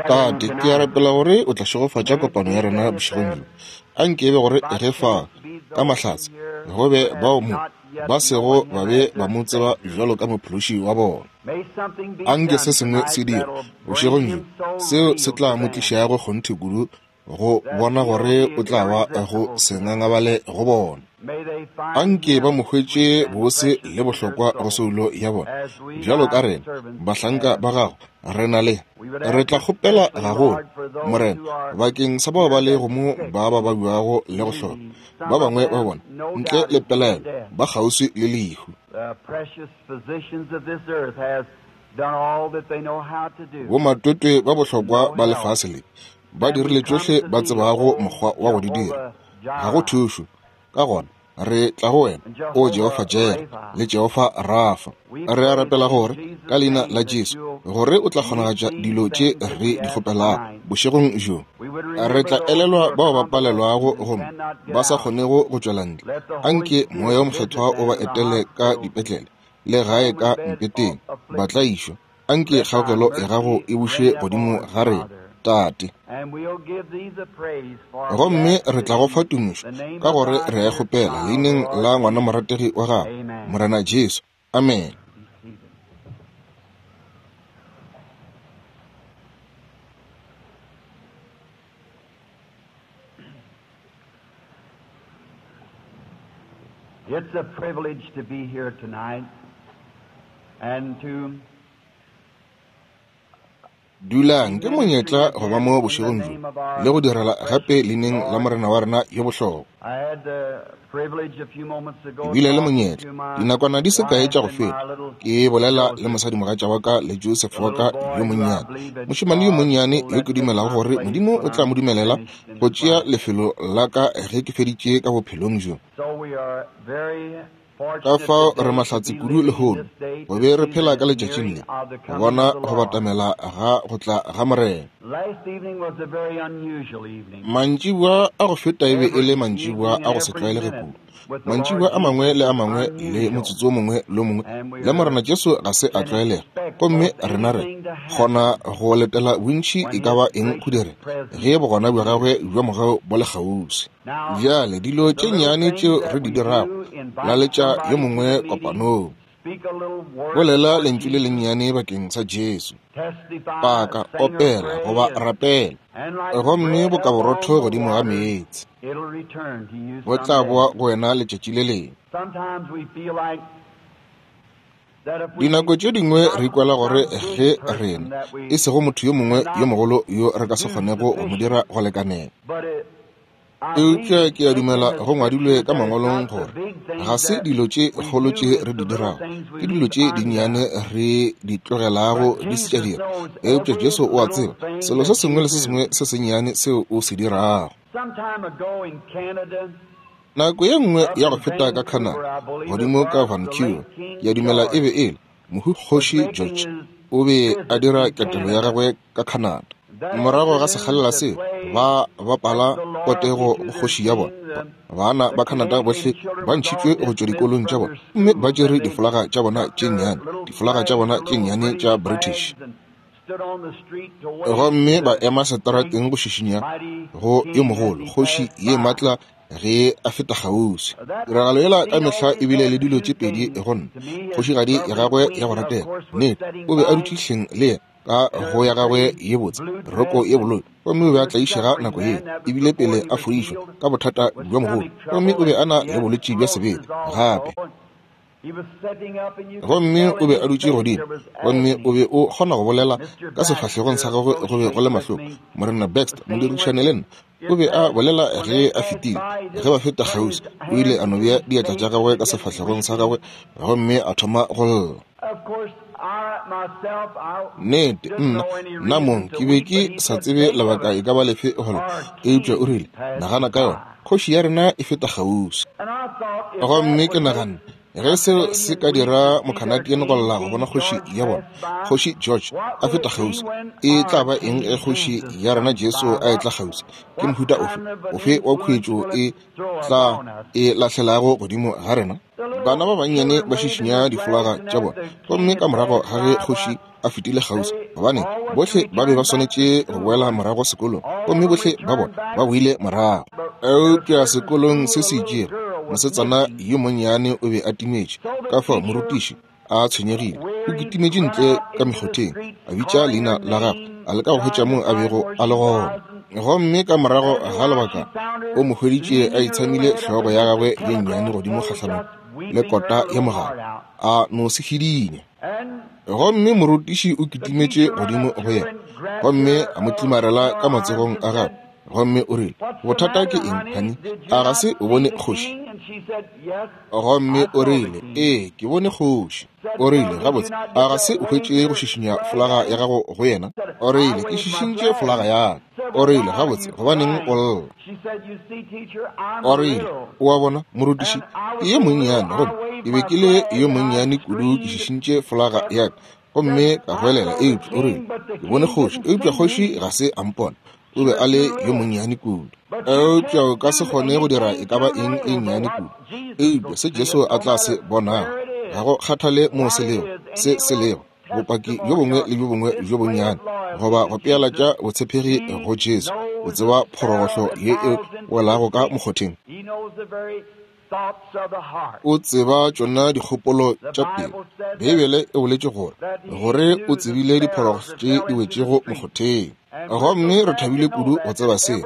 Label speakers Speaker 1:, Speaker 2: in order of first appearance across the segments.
Speaker 1: Tate, ke a rapela gore o tla šegofatša kopano ya rena bošegong bjo. A nke e be gore ge fa, ka mahlatse, go be bao mo ba sego ba be ba mo tseba bjalo ka Mophološi wa bona. A nke se sengwe se dirwe bošegong bjo seo se tla mo tlišago kgonthe kudu go bona gore o tla ba go se ngangabale go bona. Anke ba mo hwetše bose le bohlokwa go soulo ya bona. Bjalo ka rena, bahlanka ba gago, re na le. Re tla kgopela gagolo, Morena, bakeng sa bao ba lego mo ba ba babjago le go hloka. Ba bangwe ba bona, ntle le pelaelo, ba kgauswi le lehu. Bomatwetwe ba bohlokwa ba lefase le ba dirile tšohle ba tsebago mokgwa wa go di dira. Ga go thušo. Ka gona re tla go wena, o Jehofa Jere le Jehofa Rafa. Re a rapela gore ka leina la Jesu gore o tla kgonagatša dilo tše re di kgopelago bošegong bjo. Re tla elelwa bao ba palelwago gomme ba sa kgonego go tšwela ntle. Anke Moya wo Mokgethwa o ba etele ka dipetlele le gae ka mpeteng ba tlaišwa. Anke kgaogelo ya gago e buše godimo ga rena, Tate. Gomme re tla go fa tumišo ka gore re a e kgopela leineng la ngwana morategi wa gago, Morena Jesu. Amene.
Speaker 2: It's a privilege to be here tonight and to
Speaker 1: Dulang, ke monyetla go ba mo bošegong bjo le go direla gape leineng la Morena wa rena yo bohlokwa. Ke bile le monyetla dinakwana di se kae tša go feta ke bolela le mosadimogatša wa ka le Joseph wa ka yo monnyane, mošemane yo monnyane yo ke dumelago gore Modimo o tla mo dumelela go tšea lefelo la ka ge ke feditše ka bophelong bjo. Ka fao re mahlatse kudu lehono go be re phela ka letšatšing le, go bona go batamela ga go tla ga Morena. Mantšiboa a go feta e be e le mantšiboa a go se tlwaelege kudu. Mantšiboa a mangwe le a mangwe le motsotso o mongwe le o mongwe le Morena Jesu ga se a tlwaelega, gomme rena re kgona go letela bontši e ka ba eng go direga ge bogona bja gagwe bja mogau bo le kgauswi. Bjale dilo tše nnyane tšeo re di dirago, laletša yo mongwe kopanong, bolela lentšu le lennyane bakeng sa Jesu, paka, opela goba rapela, gomme boka borotho godimo ga meetse bo tla boa go wena letšatši le lengwe. Dinako tše dingwe re ikwela gore ge rena, e sego motho yo mongwe yo mogolo yo re ka se kgonego go mo dira go lekanela. Eupša ke a dumela go ngwadilwe ka mangwalong gore ga se dilo tše kgolo tše re di dirago, ke dilo tše dinnyane re di tlogelago di se tša dira. Eupša Jesu o a tseba selo se sengwe le se sengwe se sennyane seo o se dirago. Nako ye nngwe ya go feta ka Canada, godimo ka Vancouver, ke a dumela e be e le mohu Kgoši George, o be a dira ketelo ya gagwe ka Canada. Morago ga sekgalela seo, ba bapala potego go kgoši ya bona. Bana ba Canada bohle ba ntšhitšwe go tšwa dikolong tša bona gomme ba tšere difolaga tša bona tše nnyane, difolaga tša bona tše nnyane tša British. Gomme ba ema seterateng go šišinya go yo mogolo, kgoši ye matla ge a feta kgauswi. Tiragalo yela ka mehla e bile le dilo tše pedi go nna. Kgošigadi ya gagwe ya go ratega, nnete, o be a dutše hleng le yena ka go ya gagwe ye botse, roko ye boloi, gomme o be a tlaišega nako yeo, ebile pele a fodišwa ka bothata bja mogolo, gomme o be a na le bolwetši bja sebete gape. Gomme o be a dutše godimo, gomme o be o kgona go bolela ka sefahlegong sa gagwe go be go le mahloko. Morena Baxter, modirišane le nna, o be a bolela ge a fetile, ge ba feta kgauswi, o ile a no bea diatla tša gagwe ka sefahlegong sa gagwe gomme a thoma go lla. Nnete, nna, nna mong ke be ke sa tsebe lebaka e ka ba lefe go lla, eupša o rile, nagana ka yona, kgoši ya rena e feta kgauswi. Gomme ke naganne, Ge seo se ka dira Mocanadian go lla go bona kgoši ya bona, Kgoši George, a feta kgauswi, e tla ba eng ge Kgoši ya rena Jesu a etla kgauswi? Ke mohuta ofe, ofe wa khuetšo e tla e lahlelago godimo ga rena? Bana ba bannyane ba šišinya difolaga tša bona, gomme ka morago ga ge kgoši a fetile kgauswi, gobane bohle ba be ba swanetše go boela morago sekolong, gomme bohle ba bona ba boile morago. Eupša sekolong se se itšego, mosetsana yo monnyane o be a timetše, ka fao morutiši a tshwenyegile, o kitimetše ntle ka mekgotheng, a bitša leina la gagwe, a leka go hwetša moo a bego a le gona. Gomme ka morago ga lebaka o mo hweditše a itshamile hlogo ya gagwe ye nnyane godimo kgahlanong le kota ya mogala, a no se hidinya. Gomme morutiši o kitimetše godimo go yena gomme a mo tlimarela ka matsogong a gagwe, gomme o rile, Bothata ke eng, honey? A ga se o bone kgoši? Gomme o rile, Ee, ke bone kgoši. O rile, Gabotse, a ga se o hwetše go šišinya folaga ya gago go yena? O rile, Ke šišintše folaga ya ka. O rile, Gabotse, gobaneng o lla? O rile, O a bona, morutiši, ke yo monnyane, gomme ke be ke le yo monnyane kudu ke šišintše folaga ya ka, gomme ka goelela, eupša o rile, Ke bone kgoši, eupša kgoši ga se a mpona. O be a le yo monnyane kudu. Eupša o ka se kgone go dira e ka ba eng e nnyane kudu, eupša se Jesu a tla se bonago, ga go kgathale moo se lego, se se lego, bopaki bjo bongwe le bjo bongwe bjo bonnyane, goba go pealatša botshepegi go Jesu, o tseba phorogohlo ye e welago ka mokgotheng. O tseba tšona dikgopolo tša pelo. Beibele e boletše gore, gore o tsebile diphorogohlo tše di wetšego mokgotheng. Gomme re thabile kudu go tseba seo,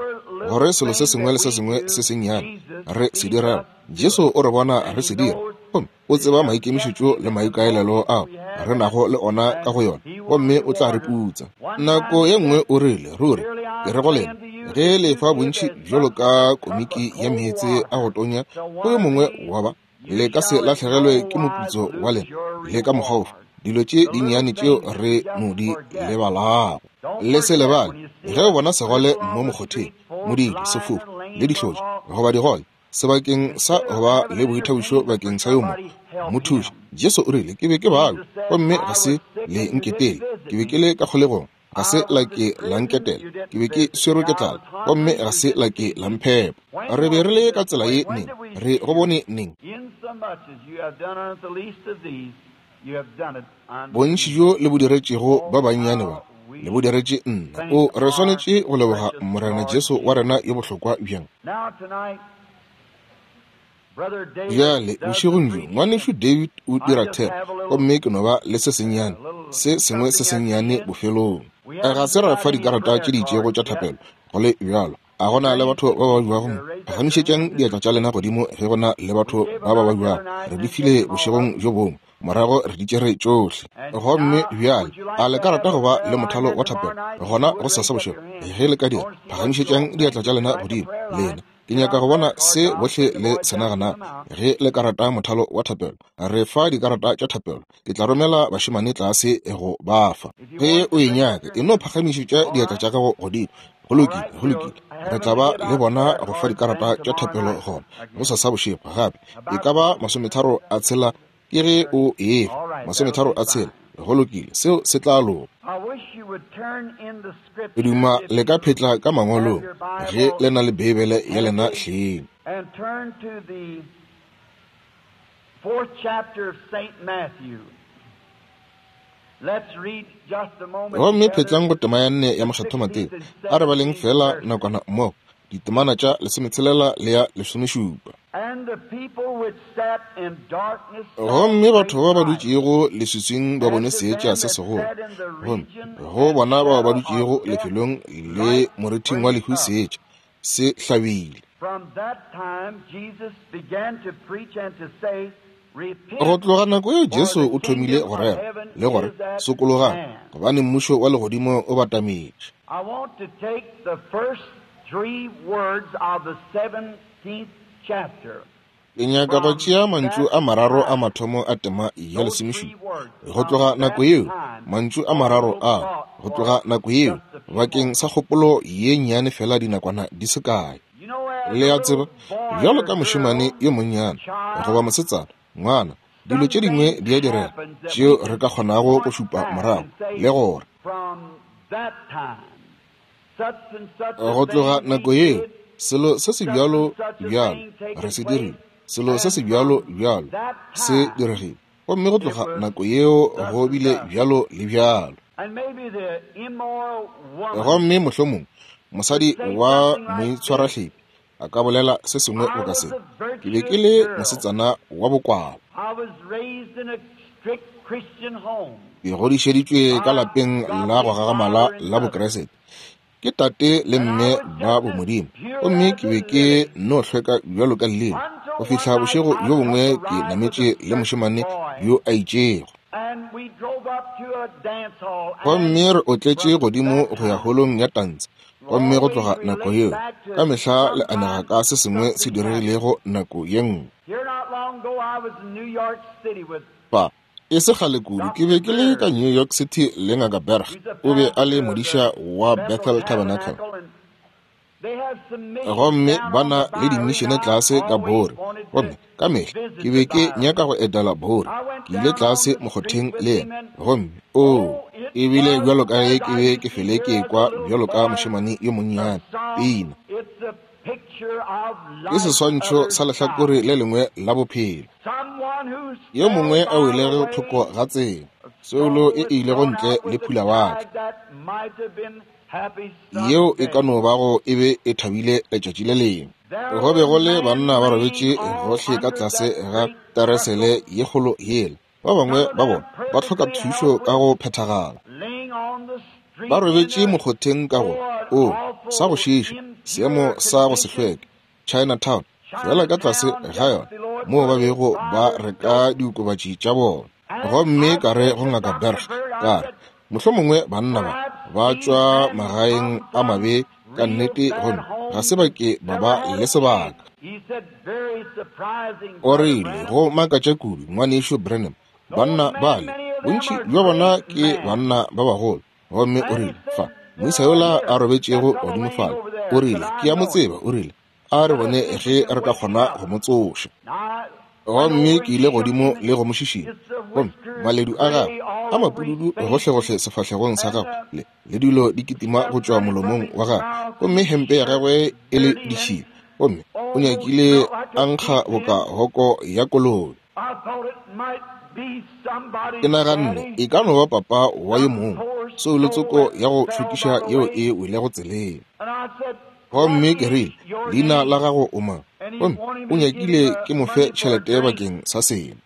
Speaker 1: gore selo se sengwe le se sengwe se sennyane re se dirago, Jesu o re bona re se dira, gomme o tseba maikemišetšo le maikaelelo ao re nago le ona ka go yona, gomme o tla re putsa. Nako ye nngwe o rile, Ruri, ke re go lena, ge le fa bontši bjalo ka komiki ya meetse a go tonya go yo mongwe wa ba, le ka se lahlegelwe ke moputso wa lena le ka mokgwa ofe. Dilo tše dinnyane tšeo re no di lebalago. Le se lebale, ge o bona segole mo mokgotheng, modidi, sefofu, le dihlotša, goba digole, sebakeng sa go ba le boithabišo bakeng sa yo mongwe, mo thuše. Jesu o rile, Ke be ke babja, gomme ga se le nketele. Ke be ke le ka kgolegong, ga se la ke la nketela. Ke be ke swerwe ke tlala, gomme ga se la ke la mphepa. Re be re le ka tsela ye neng? Re go bone neng? Bontši bjo le bo diretšego ba bannyane ba, le bo diretše nna. O, re swanetše go leboga Morena Jesu wa rena yo bohlokwa bjang. Bjale, bošegong bjo, Ngwanešu David o dira thero, gomme ke no ba le se sennyane, se sengwe se sennyane bofelong. Ga se ra fa dikarata tše di itšego tša thapelo, go le bjalo. A go na le batho ba ba babjago mo? Phagamišetšang diatla tša lena godimo ge go na le batho ba ba babjago. Re di file bošegong bjo bongwe, morago re di tšere tšohle. Gomme bjale, a le ka rata go ba le mothalo wa thapelo gona gosasa bošego? Ge le ka dira, phagamišetšang diatla tša lena godimo, lena. Ke nyaka go bona se bohle le se naganago. Ge le ka rata mothalo wa thapelo, re fa dikarata tša thapelo. Ke tla romela bašemane tlase go ba fa. Ge o e nyaka, e no phagamišetša diatla tša gago godimo. Go lokile, go lokile. Re tla ba le bona go fa dikarata tša thapelo gona gosasa bošego gape. E ka ba 36 ke ge o efa, 36. Go lokile, seo se tla loka. Ke duma le ka phetla ka mangwalong ge le na le Beibele ya lena hleng.
Speaker 2: And turn to the fourth chapter of St. Matthew. Let's read just a moment
Speaker 1: Gomme
Speaker 2: together.
Speaker 1: phetlang go tema ya nne ya Mokgethwa Mateo. A re baleng feela nakwana mmogo, ditemana tša 16 le ya 17.
Speaker 2: And the people which sat in darkness saw
Speaker 1: Gomme batho
Speaker 2: great
Speaker 1: ba ba
Speaker 2: light.
Speaker 1: dutšego leswiswing ba bone
Speaker 2: And to
Speaker 1: seetša
Speaker 2: them
Speaker 1: se
Speaker 2: that
Speaker 1: segolo.
Speaker 2: sat in the
Speaker 1: Gomme
Speaker 2: region
Speaker 1: go
Speaker 2: and
Speaker 1: bona bao ba
Speaker 2: shadow of
Speaker 1: dutšego
Speaker 2: death,
Speaker 1: lefelong le
Speaker 2: light
Speaker 1: morithing wa
Speaker 2: sprang
Speaker 1: lehu
Speaker 2: up.
Speaker 1: seetša se hlabile.
Speaker 2: From that time Jesus began to preach and to say,
Speaker 1: Go
Speaker 2: Repent,
Speaker 1: tloga nako yeo
Speaker 2: for
Speaker 1: Jesu
Speaker 2: the
Speaker 1: o thomile
Speaker 2: kingdom
Speaker 1: go
Speaker 2: of
Speaker 1: rera
Speaker 2: heaven
Speaker 1: le gore,
Speaker 2: is at
Speaker 1: Sokologang,
Speaker 2: hand.
Speaker 1: gobane mmušo wa legodimo o batametše.
Speaker 2: I want to take the first three words of the 17th chapter.
Speaker 1: Ke nyaka go
Speaker 2: From
Speaker 1: tšea mantšu
Speaker 2: that
Speaker 1: a mararo a
Speaker 2: time,
Speaker 1: mathomo a tema ya
Speaker 2: those
Speaker 1: 17.
Speaker 2: three words,
Speaker 1: Go
Speaker 2: from
Speaker 1: tloga nako
Speaker 2: that
Speaker 1: yeo,
Speaker 2: time,
Speaker 1: mantšu a
Speaker 2: for a
Speaker 1: mararo
Speaker 2: little
Speaker 1: a,
Speaker 2: thought
Speaker 1: go
Speaker 2: for
Speaker 1: tloga nako yeo,
Speaker 2: just a few
Speaker 1: bakeng sa
Speaker 2: moments.
Speaker 1: kgopolo ye nnyane fela dinakwana di se kae.
Speaker 2: You know, as
Speaker 1: Le
Speaker 2: a
Speaker 1: a tseba,
Speaker 2: little boy
Speaker 1: bjalo
Speaker 2: or
Speaker 1: ka mošemane
Speaker 2: girl,
Speaker 1: yo monnyane goba
Speaker 2: child,
Speaker 1: mosetsana, Ngwana, dilo tše dingwe di a direga tšeo re ka kgonago go šupa morago le gore go tloga nako yeo selo se se bjalo bjalo re se dirile, selo se se bjalo bjalo se diregile, gomme go tloga nako yeo go bile bjalo le bjalo. Gomme mohlomongwe mosadi wa moitshwarahlepi a ka bolela se sengwe boka se: Ke be ke le mosetsana wa bokwala. Ke godišeditšwe ka lapeng la go gagamala la Bokriste ke tate le mme ba bomodimo, gomme ke be ke no hlweka bjalo ka leleme go fihla bošego bjo bongwe ke nametše le mošemane yo a itšego. Gomme re otletše godimo go ya holong ya tantshe, gomme go tloga nako yeo ka mehla le anega ka se sengwe se diregilego nako ye nngwe. Pa e se kgale kudu ke be ke le ka New York City le Ngaka Berg, o be a le modiša wa Bethel Tabernacle, gomme ba na le dimišene tlase ka Bore, gomme ka mehla ke be ke nyaka go etela Bore. Ke ile tlase mokgotheng le yena, gomme oo, e bile bjalo ka ge ke be ke fele ke ekwa bjalo ka mošemane yo monnyane pina. Ke seswantšho sa lehlakore le lengwe la bophelo. Yo mongwe a welego thoko ga tsela, soulo e ilego ntle le phulawatle, yeo e ka no bago e be e thabile letšatši le lengwe. Go be go le banna ba robetše gohle ka tlase ga teresele ye kgolo yela, ba bangwe ba bona ba hloka thušo ka go phethagala. Ba robetše mokgotheng ka go o sa go šiiša, seemo sa go se hlweke, Chinatown, fela ka tlase ga yona moo ba bego ba reka diokobatši tša bona. Gomme ka re go Ngaka Berg, ka re, mohlomongwe banna ba ba tšwa magaeng a mabe ka nnete, gomme ga se ba ke ba ba le sebaka. O rile, go makatša kudu, ngwanešu Branham, banna bale, bontši bja bona ke banna ba bagolo. Gomme o rile, fa moisa yola a robetšego godimo fale, o rile, ke a mo tseba, o rile, a re bone ge re ka kgona go mo tsoša. Gomme ke ile godimo le go mo šišinya, gomme maledu a gagwe a mapududu gohlegohle sefahlegong sa gagwe, le le dilo di kitima go tšwa molomong wa gagwe, gomme hempe ya gagwe e le ditšhila, gomme o nyakile a nkga boka hoko ya kolobe. Ke naganne e ka no ba papa wa yo mongwe, soulo tsoko ya go šokiša yeo e welego tseleng. Gomme ke rile, leina la gago o mang? Gomme o nyakile ke mo fe tšhelete bakeng sa seno.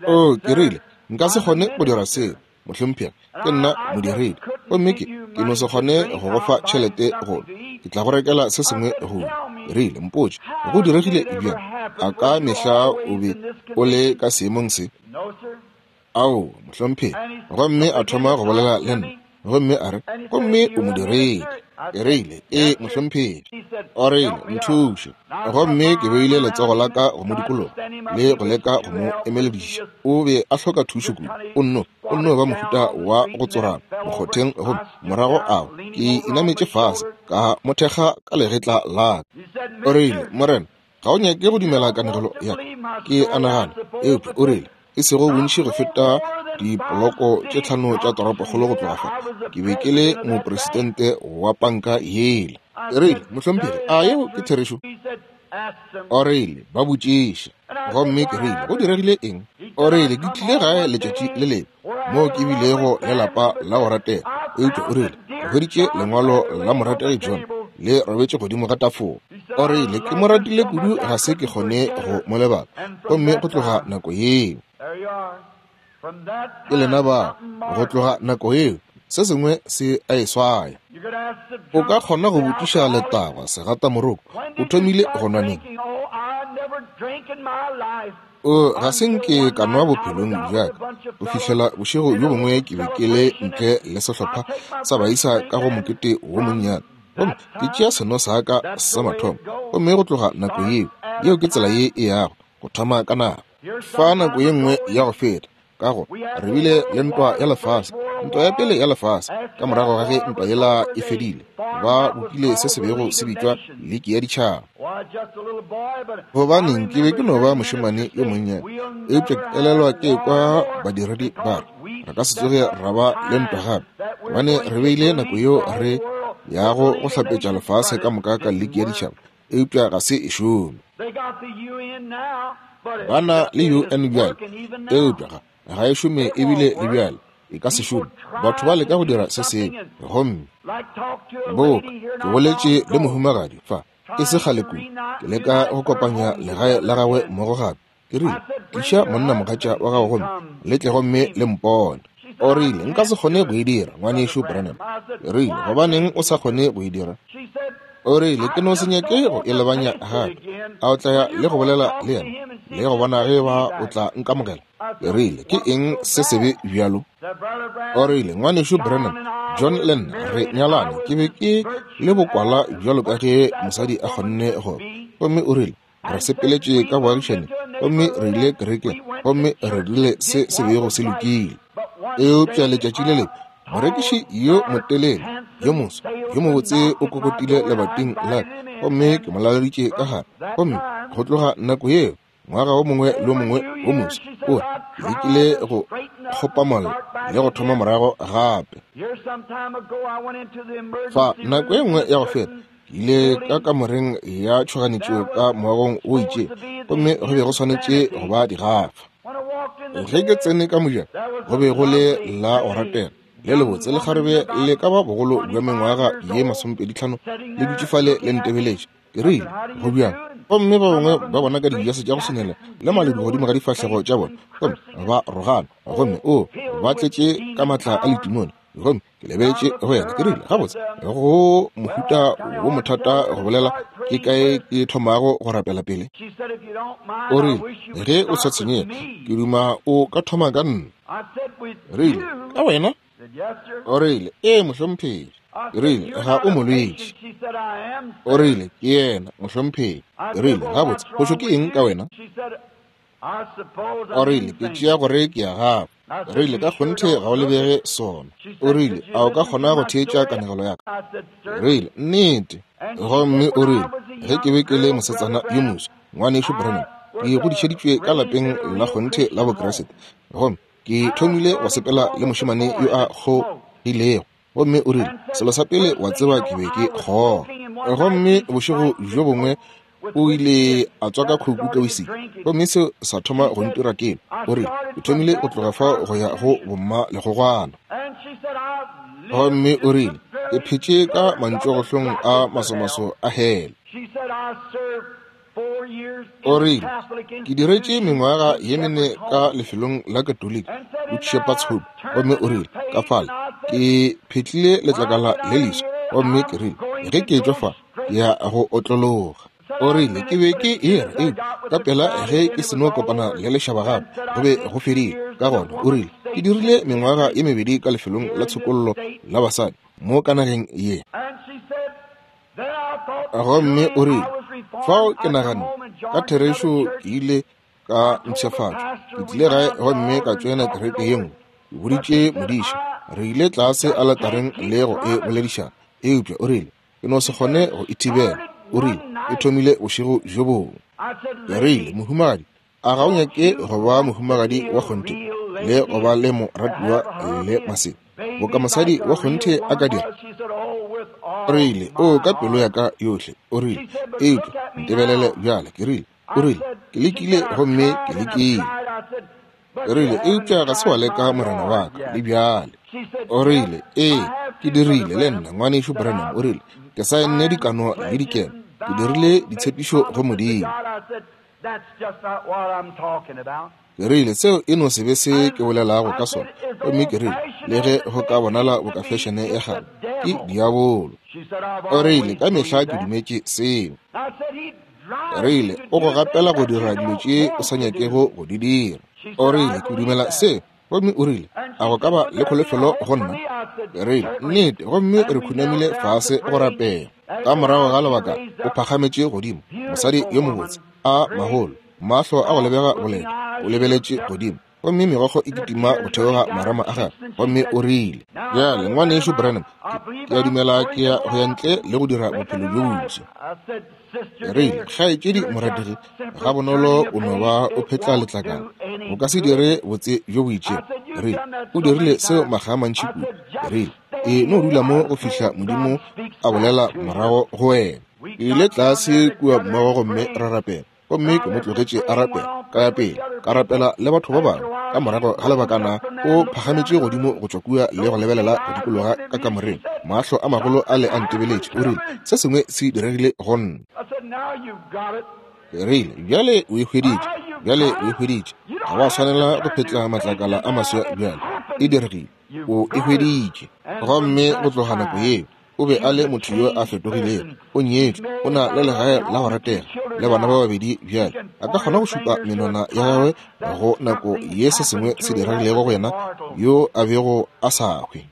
Speaker 1: O, ke rile, nka se kgone go dira seo, mohlomphegi, ke nna modiredi, gomme ke ke no se kgone go go fa tšhelete go, ke tla go rekela se sengwe go. Ke rile, mpotše, go diregile bjang? A ka mehla o be o le ka seemong se? Ao, mohlomphegi. Gomme a thoma go bolela le nna, gomme a re, gomme o modiredi. Ke rile, ee, mohlomphegi. O rile, nthuše. Gomme ke beile letsogo la ka go mo dikologa le go leka go mo emelediša. O be a hloka thušo kudu. O nno, o nno ba mohuta wa go tsorama mokgotheng, gomme morago ao ke inametše fase ka mo thekga ka legetla la ka. O rile, Morena, ga o nyake go dumela kanegelo ya ka, ke a nagana, eupša o rile, e sego bontši go feta dipoloko tše 5 tša toropokgolo go tloga fa, ke be ke le mopresidente wa panka yela. Ke rile, mohlomphegi, a yeo ke therešo? O rile, ba botšiše. Gomme ke rile, go diregile eng? O rile, ke tlile gae letšatši le lengwe moo ke bilego le lapa la go ratega, eupša o rile, ke hweditše lengwalo la morategi John le robetše godimo ga tafola. O rile, ke mo ratile kudu ga se ke kgone go mo lebala, gomme go tloga nako yeo. Ke lena ba, go tloga nako yeo, se sengwe se a e swaya. O ka kgona go botšiša letagwa segatamoroko, o thomile go nwa neng? O, ga se nke ka nwa bophelong bja ka go fihlela bošego bjo bongwe ke be ke le ntle le sehlopha sa baisa ka go mokete wo monnyane, gomme ke tšea seno sa ka sa mathomo, gomme go tloga nako yeo, yeo ke tsela ye e yago go thoma ka nako. Fa nako ye nngwe ya go feta, ka go re bile le ntwa ya lefase, ntwa ya pele ya lefase, ka morago ga ge ntwa yela e fedile, ba bopile se se bego se bitšwa Liki ya Ditšhaba. Gobaneng, ke be ke no ba mošemane yo monnyane, eupša ke elelwa ke kwa badiredi ba re, Re ka se tsoge ra ba le ntwa gape, gobane re beile nako yeo re yago go hlapetša lefase ka moka ka liki ya ditšhaba, eupša ga se e šome. Ba na le UN bjale, eupša ga, ga e šome ebile le bjale e ka se šome. Batho ba leka go dira se sengwe, gomme boka ke boletše le mohumagadi fa e se kgale kudu, ke leka go kopanya legae la gagwe mmogo gape. Ke rile, Tliša monnamogatša wa gago gomme le tle gomme le mpone. O rile, Nka se kgone go e dira, Ngwanešu Branham. Ke rile, Gobaneng o sa kgone go e dira? O rile, Ke no se nyake go e lebanya gape. A o tla ya le go bolela le yena, le go bona ge ba o tla nkamogela? Ke rile, Ke eng se sebe bjalo? O rile, Ngwanešu Branham, John le nna re nyalane. Ke be ke le bokwala bjalo ka ge mosadi a kgonne go. Gomme o rile, Re sepeletše ka boagišane, gomme re ile kerekeng, gomme re dirile se se bego se lokile. Eupša letšatši le lengwe, morekiši yo motelele, yo moso, yo mobotse o kokotile lebating la ka, gomme ke mo laleditše ka gare. Gomme go tloga nako yeo, ngwaga wo mongwe le wo mongwe wo moso, o re, ke lekile go kgopamolla le go thoma morago gape. Fa nako e nngwe ya go feta, Ke ile ka kamoreng ya tšhoganetšo ka moagong o itše, gomme go be go swanetše go ba digafa. Ge ke tsene ka mojako, go be go le la go ratega le lebotse lekgarebe le ka ba bogolo bja mengwaga ye 25 le dutše fale le ntebeletše. Ke rile, Go bjang? Gomme ba bangwe ba bona ka dijase tša go swanela le maledu godimo ga difahlego tša bona, gomme ba rogana, gomme o ba tletše ka matla a letimone. Gomme ke lebeletše go yena, ke rile, Gabotse, go mohuta wo mothata go bolela, ke kae ke thomago go rapela pele? O rile, Ge o sa tshwenyege, ke duma o ka thoma ka nna. Rile, Ka wena? O rile, Ee, mohlomphegi. Ke rile, Ga o molwetši. O rile, Ke yena, mohlomphegi. Ke rile, Gabotse, phošo ke eng ka wena? O rile, Ke tšea gore ke ya gago. Rile, Ka kgonthe ga o lebege sona. O rile, A o ka kgona go theetša kanegelo ya ka? Rile, Nnete. Gomme o rile, Ge ke be ke le mosetsana yo moswa, Ngwanešu Branham, ke godišeditšwe ka lapeng la kgonthe la Bokriste. Gomme ke thomile go sepela le mošemane yo a kgogilego. Gomme o rile, Selo sa pele wa tseba, ke be ke kgoga. Gomme bošego bjo bongwe o ile a tswaka khuku ka wisiki, gomme seo sa thoma go ntira kelo. O rile, Ke thomile go tloga fao go ya go bomma legogwana. Gomme o rile, Ke phetše ka mantšogohlong a masomaso a hele. O rile, Ke diretše mengwaga ye mene ka lefelong la Katoliki, Good Shepherd's Hope. Gomme o rile, Ka fale ke phetlile letlakala le leswa, gomme ke rile, Ge ke etšwa fa, ke ya go otlologa. O rile, Ke be ke e re, eupša ka pela ge ke seno kopana le lešaba gape, go be go fedile. Ka gona o rile, Ke dirile mengwaga ye mebedi ka lefelong la tshokollo la basadi mo ka nageng ye. Gomme o rile, Fao ke naganne, ka therešo ke ile ka mpshafatšwa. Ke tlile gae gomme ka tšoena kereke ye nngwe. Ke boditše modiša, re ile tlase aletareng le go e boledišana. Eupša o rile, Ke no se kgone go e thibela. O rile, E thomile bošego bjo bongwe. Ke rile, Mohumagadi, a ga o nyake go ba mohumagadi wa kgonthe le go ba le moratiwa le masea boka mosadi wa kgonthe a ka dira? O rile, O ka pelo ya ka yohle. O rile, Eupša ntebelele bjale. Ke rile, O rile, Ke lekile gomme ke lekile. Ke rile, Eupša ga se wa leka Morena wa ka le bjale. O rile, Ee, ke dirile le nna, Ngwanešu Branham. O rile, Ke saenne dikano le dikeno. Ke dirile ditshepišo go Modimo. Ke rile, Seo e no se be se ke bolelago ka sona. Gomme ke rile, Le ge go ka bonala boka fešene ya kgale, ke diabolo. O rile, Ka mehla ke dumetše seo. Ke rile, O go gapela go dira dilo tše o sa nyakego go di dira. O rile, Ke dumela seo. Gomme o rile, A go ka ba le kholofelo go nna? Ke rile, Nnete. Gomme re khunamile fase go rapela. Ka morago ga lebaka o phagametše godimo, mosadi yo mobotse, a magolo, mahlo a go lebega boleta, o lebeletše godimo. Gomme megokgo e kitima go theoga marama a gagwe, gomme o rile, Bjale, Ngwanešu Branham, ke, ke a dumela ke ya go ya ntle le go dira bophelo bjo boswa. Ke rile, Kgaetšedi morategi, gabonolo o no ba o phetla letlakala. O ka se dire botse bjo bo itšego. Ke rile, O dirile seo makga a mantši kudu. Ke rile, E no dula mo go fihla Modimo a bolela morago go wena. Ke ile tlase kua mmogo gomme ra rapela. Gomme ke mo tlogetše a rapela, ka ya pele, ka rapela le batho ba bangwe. Ka morago ga lebakana, o phagametše godimo go tšwa kua le go lebelela go dikologa ka kamoreng, mahlo a magolo a le a ntebeletše. O rile, Se sengwe se diregile go nna. Ke rile, Bjale o e hweditše. Bjale o e hweditše. Ga wa swanela go phetla matlakala a maswa bjale. E diregile. O e hweditše. Gomme go tloga nako yeo, O be a le motho yo a fetogilego. O nyetšwe, o na le legae la go ratega, le bana ba babedi bjale. A ka kgona go šupa menwana ya gagwe go nako ye se sengwe se diregilego go yena yo a bego a sa hwe.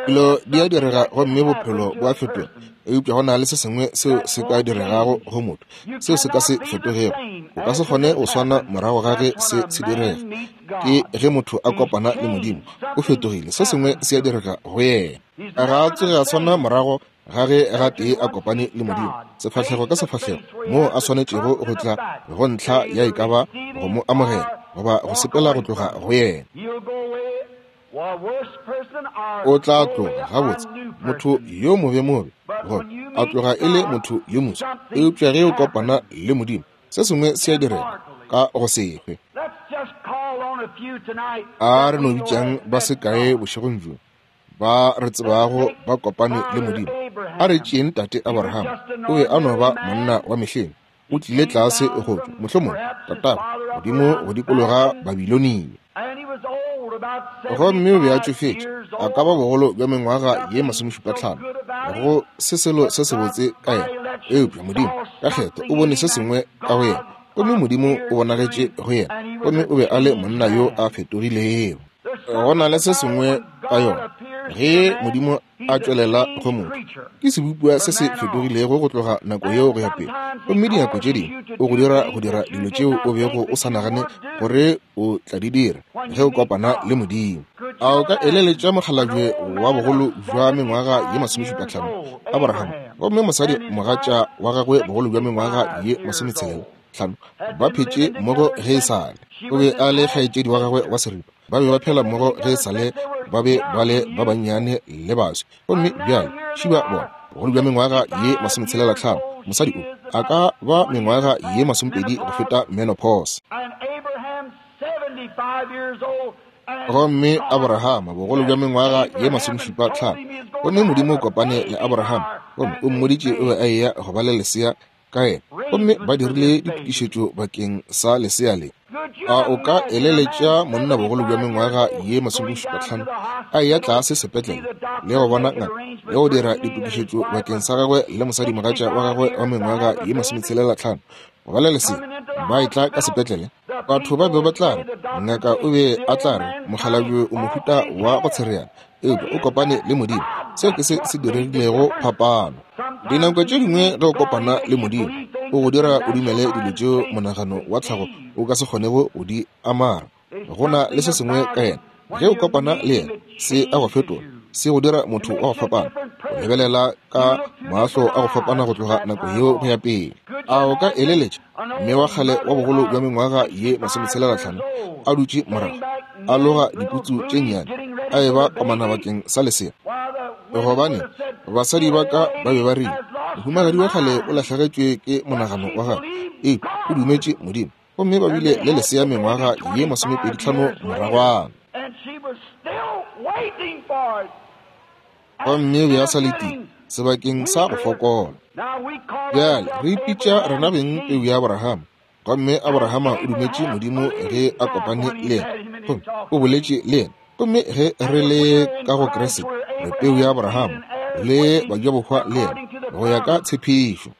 Speaker 1: Dilo di a direga gomme bophelo bo a fetoga, eupša go na le se sengwe seo se ka diregago go motho seo se ka se fetogego. O ka se kgone go swana morago ga ge se se direga. Ke ge motho a kopana le Modimo, o fetogile, se sengwe se a direga go yena. Ga a tsoge a swana morago ga ge gatee a kopane le Modimo, sefahlego ka sefahlego, moo a swanetšego go tla go ntlha ya e ka ba go mo amogela goba go sepela go tloga go yena. O tla tloga gabotse, motho yo mobemobe, goba a tloga e le motho yo moswa. Eupša ge o kopana le Modimo, se sengwe se a direga ka go se hwe. A re no bitšang ba se kae bošegong bjo ba re tsebago ba kopane le Modimo. A re tšeeng tate Abraham, o be a no ba monna wa mehleng. O tlile tlase go tšwa, mohlomongwe, tatagwe, godimo go dikologa Babilonia. Gomme o be a tšofetše, a ka ba bogolo bja mengwaga ye masomešupatlhano, go se selo se sebotse ka yena. Eupša Modimo, ka kgetho, o bone se sengwe ka go yena, gomme Modimo o bonagetše go yena, gomme o be a le monna yo a fetogilego. Go na le se sengwe ka yona, ge Modimo a tšwelela go motho, ke sebopiwa se se fetogilego go tloga nako yeo go ya pele. Gomme dinako tše dingwe o go dira go dira dilo tšeo o bego o sa nagane gore o tla di dira ge o kopana le Modimo. A o ka eleletša mokgalabje wa bogolo bja mengwaga ye masomešupatlhano, Abraham, gomme mosadi mogatša wa gagwe bogolo bja mengwaga ye masometshelela tlhano, ba phetše mmogo ge e sa le? O be a le kgaetšedi wa gagwe wa seripa. Ba be ba phela mmogo ge e sa le ba be ba le ba bannyane le baswi. Gomme bjale šiba bona, bogolo bja mengwaga ye masometshela-tlhano, mosadi o a ka ba mengwaga ye masomepedi go feta menopause. Gomme Abrahama, bogolo bja mengwaga ye masomešupa-tlhano, gomme Modimo o kopane le Abrahama, gomme o mmoditše o be a eya go ba le lesea ka yena, gomme ba dirile ditokišetšo bakeng sa lesea le. A o ka eleletša monna bogolo bja mengwaga ye masomešupatlhano a eya tlase sepetlele le go bona ngaka le go dira ditokišetšo bakeng sa gagwe le mosadimogatša wa gagwe wa mengwaga ye masometshela-tlhano go ba le lesea ba etla ka sepetlele? Batho ba be ba tla re, ngaka o be a tla re, mokgalabje o mohuta wa go tshereana, eupša o kopane le Modimo. Seo ke se se diregilego phapano. Dinako tše dingwe ge o kopana le Modimo, o go dira o dumele dilo tšeo monagano wa tlhago o ka se kgonego go di amara. Go na le se sengwe ka yena. Ge o kopana le yena, se a go fetola, se go dira motho wa go fapana, o lebelela ka mahlo a go fapana go tloga nako yeo go ya pele. A o ka eleletša mme wa kgale wa bogolo bja mengwaga ye masometshela-tlhano a dutše morago, a loga diputsu tše nnyane, a eba komana bakeng sa lesea? Gobane basadi ba ka ba be ba rile, Mohumagadi wa kgale o lahlegetšwe ke monagano wa gagwe, eupša o dumetše Modimo. Gomme ba bile le lesea mengwaga ye masomepedi-tlhano moragwana. Gomme o be a sa letile sebakeng sa go fokola. Bjale re ipitša rena beng peu ya Abrahama. Gomme Abrahama o dumetše Modimo ge a kopane le yena, gomme o boletše le yena. Gomme ge re le ka go Kriste, re peu ya Abrahama, le bajabohwa le yena, go ya ka tshepišo.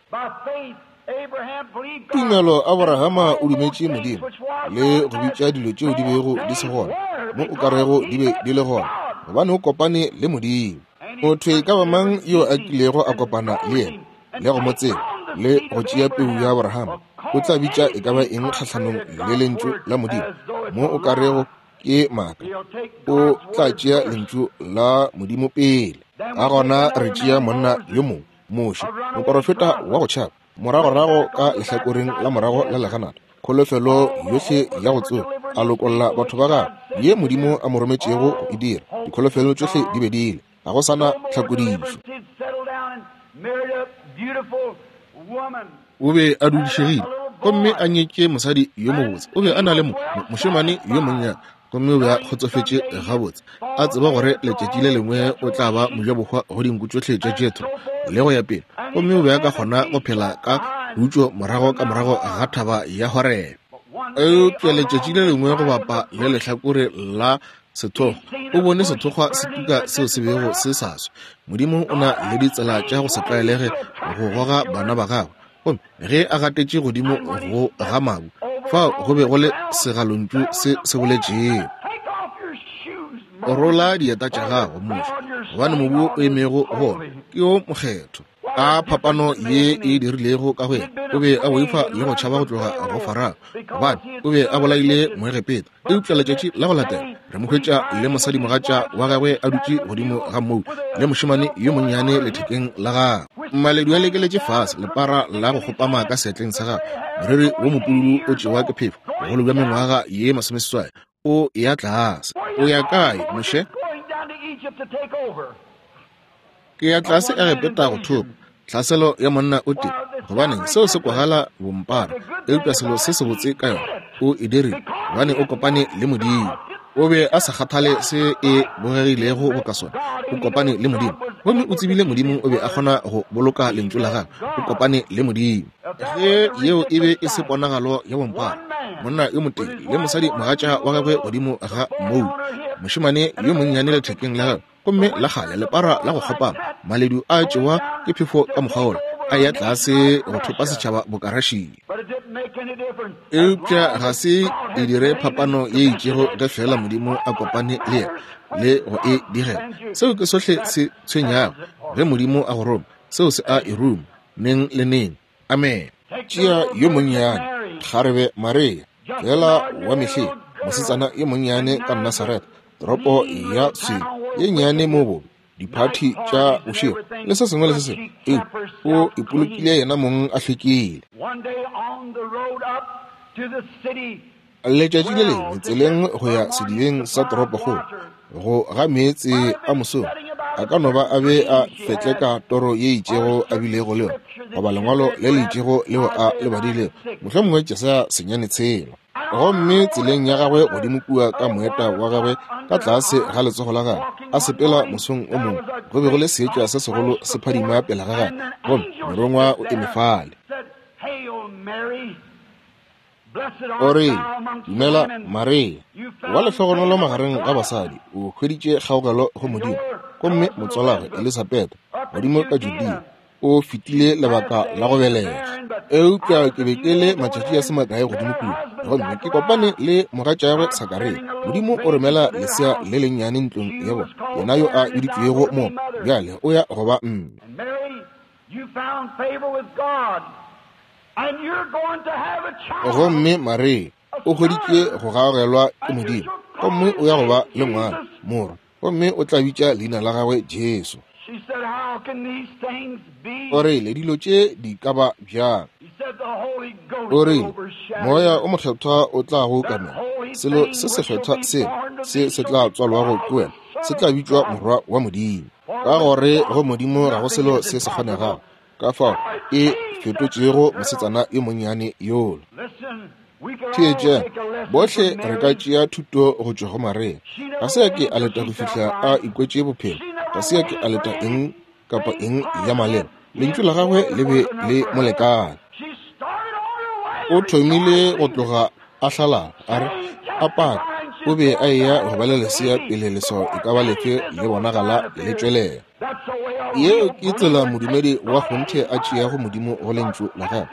Speaker 1: Tumelo Aborahama o dumetše Modimo le go bitša dilo tšeo di bego di se gona mo o ka rego di be di le gona, gobane o kopane le Modimo. Motho e ka ba mang yo a kilego a kopana le yena le go mo tseba le go tšea peu ya Aborahama O tla bitša e ka ba eng kgahlanong le Lentšu la Modimo, mo o ka rego ke maaka. O tla tšea Lentšu la Modimo pele. Ka gona re tšea monna yo mongwe, Moshe, moporofeta wa go tšhaba, moragorago ka lehlakoreng la morago la leganata, kholofelo yohle ya go tsoga, a lokolla batho ba gagwe, ye Modimo a mo rometšego go e dira. Dikholofelo tšohle di be di ile, ga go sa na tlhakodišo. O be a dudišegile gomme a nyetše mosadi yo mobotse. O be a na le mošemane yo monnyane, gomme o be a kgotsofetše gabotse, a tseba gore letšatši le lengwe o tla ba mojabohwa go dinku tšohle tša Jethro le go ya pele. Gomme o be a ka kgona go phela ka khutšo morago ka morago ga thaba ya Horebe. Eupša letšatši le lengwe go bapa le lehlakore la sethokgwa, o bone sethokgwa se tuka seo se bego se sa swe. Modimo o na le ditsela tša go se tlwaelege go goga bana ba gagwe. Gomme ge a gatetše godimo go ga mabu, fao go be go le segalontšu se se boletšego. Rola dieta tša gago, Moshe, gobane mobu o emego go ona ke o mokgethwa. A phapano ye e dirilego ka go yena! O be a boifa le go tšhaba go tloga go Farao, gobane o be a bolaile Moegepeta. Eupša letšatši la go latela re mo hwetša le mosadimogatša wa gagwe a dutše godimo ga mou le mošemane yo monnyane lethekeng la gagwe. Maledu a lekeletše fase, lepara la go kgopama ka seatleng sa gagwe, moriri wo mopududu o tšewa ke phefo, bogolo bja mengwaga ye 80, o ya tlase. O ya kae, Moshe? Ke ya tlase Egepeta go thopa tlhaselo ya monna o tee. Gobaneng, seo se kwagala bompara, eupša selo se sebotse ka yona, o e dirile gobane o kopane le Modimo. O be a sa kgathale se e bogegilego boka sona. O kopane le Modimo, gomme o tsebile Modimo o be a kgona go boloka Lentšu la gagwe. O kopane le Modimo. Ge yeo e be e se ponagalo ya bompara, monna yo motee le mosadi mogatša wa gagwe godimo ga mou, mošemane yo monnyane lethekeng la gagwe, gomme la kgale lepara la go kgopama, maledu a tšewa ke phefo ka mokgwa wola, a ya tlase go thopa setšhaba boka Russia. Eupša ga se e dire phapano ye itšego ge feela Modimo a kopane le yena le go e digela. Seo ke sohle se tshwenyago. Ge Modimo a go roma, seo se a e ruma neng le neng. Amen. Tšea yo monnyane, kgarebe Maria, feela wa mehleng, mosetsana yo monnyane ka Nasaretha, toropo ya swele ye nnyane mo bobe, diphathi tša bošego le se sengwe le se sengwe, eupša o ipolokile yena mong a hlwekile. Letšatši le lengwe tseleng go ya sedibeng sa toropokgolo go ga meetse a mosong, a ka no ba a be a fetleka toro ye itšego a bilego le yona, goba lengwalo le le itšego leo a le badilego, mohlomongwe Jesaya 9:6. Gomme tseleng ya gagwe godimo kua ka moeta wa gagwe ka tlase ga letsogo la gagwe, a sepela mosong o mongwe, go be go le seetša se segolo se phadima pele ga gagwe, gomme morongwa o eme fale. O re, Dumela Maria, wa lehlogonolo magareng ga basadi, o hweditše kgaogelo go Modimo. Gomme motswalagwe Elisabetha, godimo ka Judea, o fetile lebaka la go belega. Eupša ke be ke le matšatši a se makae godimo kua, gomme ke kopane le mogatšagwe Sakaria. Modimo o romela lesea le lennyane ntlong ya bona, yena yo a biditšwego mo, bjale o ya go ba mme. Gomme Maria o hweditše go gaogelwa ke Modimo, gomme o ya go ba le ngwana, morwa, gomme o tla bitša leina la gagwe Jesu. O rile, dilo tše di ka ba bjang? O rile, Moya o Mokgethwa o tla go ukamela, selo se sekgethwa sela se se tla tswalwago ke wena se tla bitšwa Morwa wa Modimo. Ka gore go Modimo ga go selo se se kgonegago. Ka fao e fetotšego mosetsana yo monnyane yola. Theetšang, bohle re ka tšea thuto go tšwa go Maria. Ga se a ke a leta go fihla a ikwetše bophelo. Ga se a ke a leta eng kapa eng ya maleba. Lentšu la gagwe le be le mo lekane. O thomile go tloga a hlalala, a re, a paka, o be a eya go ba le lesea pele leswao e ka ba lefe le bonagala le tšwelela. Yeo ke tsela modumedi wa kgonthe a tšeago Modimo go Lentšu la gagwe,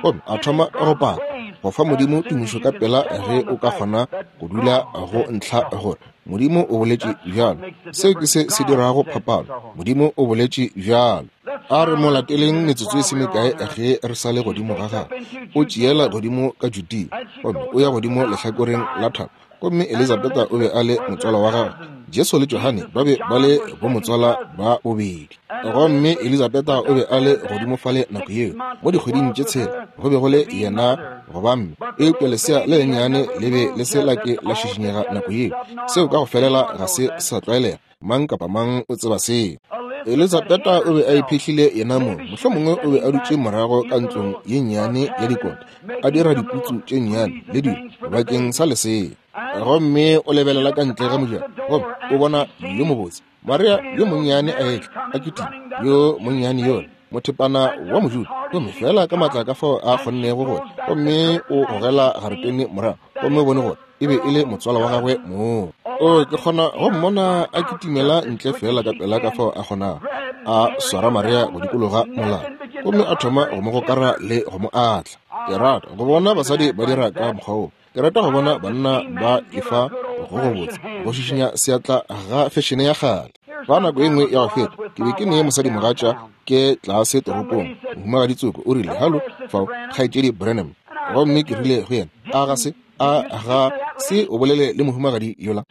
Speaker 1: gomme a thoma go paka, go fa Modimo tumišo ka pela ge o ka kgona go dula go ntlha gore Modimo o boletše bjalo. Seo ke se se dirago phapano. Modimo o boletše bjalo. A re mo lateleng metsotso e se mekae ge re sa le godimo ga gagwe. O tšeela godimo ka Judea, gomme o ya godimo lehlakoreng la thaba. Gomme Elizabetha o be a le motswala wa gagwe. Jesu le Johane ba be ba le bomotswala ba bobedi. Gomme Elizabetha o be a le godimo fale nako yeo, mo dikgweding tše tshela, go be go le yena goba mme. Eupša lesea le lennyane le be le se la ke la šišinyega nako yeo. Seo ka go felela ga se sa tlwaelega. Mang kapa mang o tseba seo. Elizabetha o be a iphihlile yena mong. Mohlomongwe o be a dutše morago ka ntlong ye nnyane ya dikota, a dira diputsu tše nnyane le dilo bakeng sa lesea. Gomme o lebelela ka ntle ga mojako, gomme o bona yo mobotse Maria yo monnyane a etla, a kitima, yo monnyane yola mothepana wa Mojuda, gomme feela ka maatla ka fao a kgonnego gore, gomme o gogela garetene morago, gomme o bone gore e be e le motswala wa gagwe moo. O, ke kgona go mmona a kitimela ntle feela ka pela ka fao a kgonago, a swara Maria go dikologa molala, gomme a thoma go mo gokara le go mo atla. Ke rata go bona basadi ba dira ka mokgwa wo. Ke rata go bona banna ba efa go gobotse go šišinya seatla ga fešene ya kgale. Fa nako e nngwe ya go feta, ke be ke ne mosadimogatša ke tlase toropong, mohumagadi tsoko o rile, Halo, fao, Kgaetšedi Branham. Gomme ke rile go yena, A ga se, a ga se o bolele le mohumagadi yola?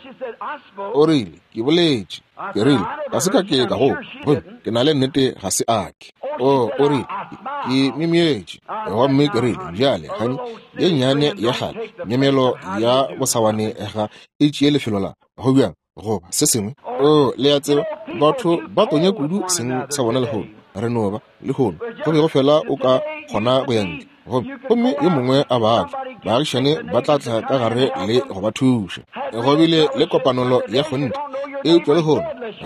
Speaker 1: O rile, Ke boletše. Ke rile, Ga se ka ke ka go, gomme ke na le nnete ga se a ke. O, o rile, Ke myemyetše. Gomme ke rile, Bjale, hani, ye nnyane ya kgale, myemyelo ya bosawane ga e tšee lefelo la, go bjang, goba se sengwe. O, le a tseba, batho ba tonya kudu seng sa bona lehono. Re no ba, lehono, go be go fela o ka kgona go ya ntle, gomme, gomme yo mongwe a babja, baagišane ba tla tla ka gare le go ba thuša. Go bile le kopanelo ya kgonthe. Eupša lehono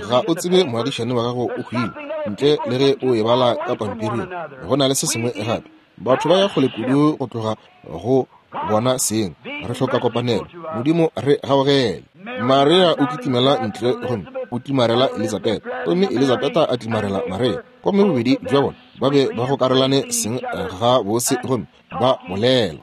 Speaker 1: ga o tsebe moagišane wa gago o hwile, ntle le ge o e bala ka pampiring. Go na le se sengwe gape. Batho ba ya kgole kudu go tloga go bona seng. Re hloka kopanelo. Modimo re gaogele. Maria o kitimela ntle gomme o tlimarela Elizabetha, gomme Elizabetha a tlimarela Maria, gomme bobedi bja bona ba be ba gokarelane seng ga bose gomme ba bolela.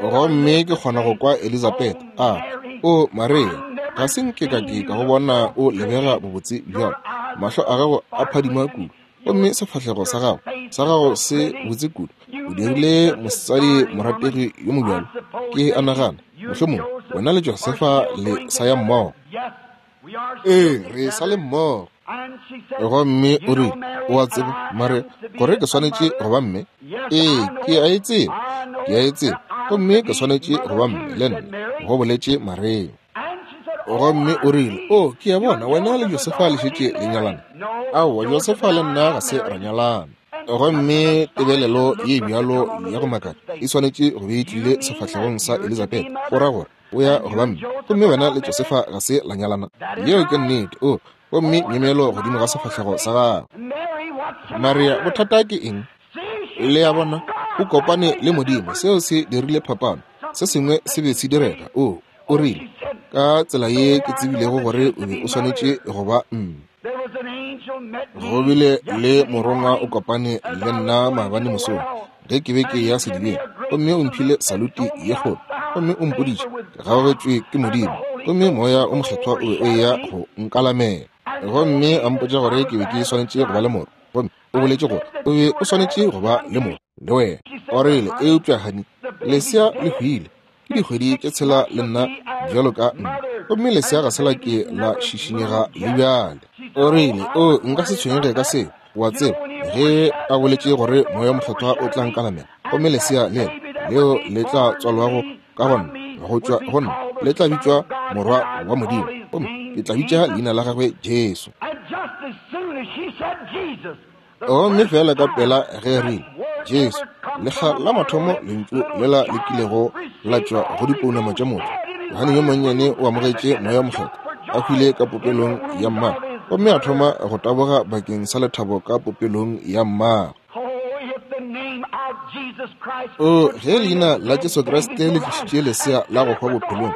Speaker 1: Gomme ke kgona go kwa Elizabetha a re, O Maria, ga se nke ka ke ka go bona o lebega bobotse bjalo. Mahlo a gago a phadima kudu, gomme sefahlego sa gago, sa gago se botse kudu. O dirile mosadi morategi yo mobjalo. Ke a nagana, mohlomongwe wena le Josefa le sa ya mmogo. Ee, re sa le mmogo. Gomme o rile, O a tseba, Maria, gore ke swanetše go ba mme? Ee, ke a e tseba, ke a e tseba. Gomme ke swanetše go ba mme le nna, go boletše Maria. Gomme o rile, O, ke a bona wena le Josefa le šetše le nyalana. Aowa, Josefa le nna ga se ra nyalana. Gomme tebelelo ye bjalo ya go makatša e swanetše go be e tlile sefahlegong sa Elizabeth. O ra gore o ya go ba mme, gomme wena le Josefa ga se la nyalana? Yeo ke nnete. O, gomme myemyelo godimo ga sefahlego sa gagwe. Maria, bothata ke eng? Le a bona, o kopane le Modimo, seo se dirile phapano. Se sengwe se be se direga. O, o rile, ka tsela ye ke tsebilego gore o be o swanetše go ba mme. Go bile le morongwa o kopane le nna maabane mosong ge ke be ke ya sedibeng, gomme o mphile saluti ye kgolo, gomme o mpoditše ke gaogetšwe ke Modimo, gomme Moya o Mokgethwa o be o eya go nkalamela, gomme a mpotša gore ke be ke swanetše go ba le morwa, gomme o boletše gore o be o swanetše go ba le morwa le wena. O rile, Eupša, honey, lesea le hwile. Ke dikgwedi tše tshela le nna bjalo ka mme, gomme lesea ga se la ke la šišinyega le bjale. O rile, O, nka se tshwenyege ka seo. O a tseba, ge a boletše gore Moya wo Mokgethwa o tla nkalamela, gomme lesea lela leo le tla tswalwago ka go nna, go tšwa go nna, le tla bitšwa Morwa wa Modimo, gomme ke tla bitša leina la gagwe Jesu. Gomme feela ka pela ge rile, Jesu, lekga la mathomo lentšu lela le kilego la tšwa go dipounama tša motho, Johane yo monnyane o amogetše Moya wo Mokgethwa, a hwile ka popelong ya mmagwe, gomme a thoma go taboga bakeng sa lethabo ka popelong ya mmagwe. O, ge leina la Jesu Kriste le tlišitše lesea la go hwa bophelong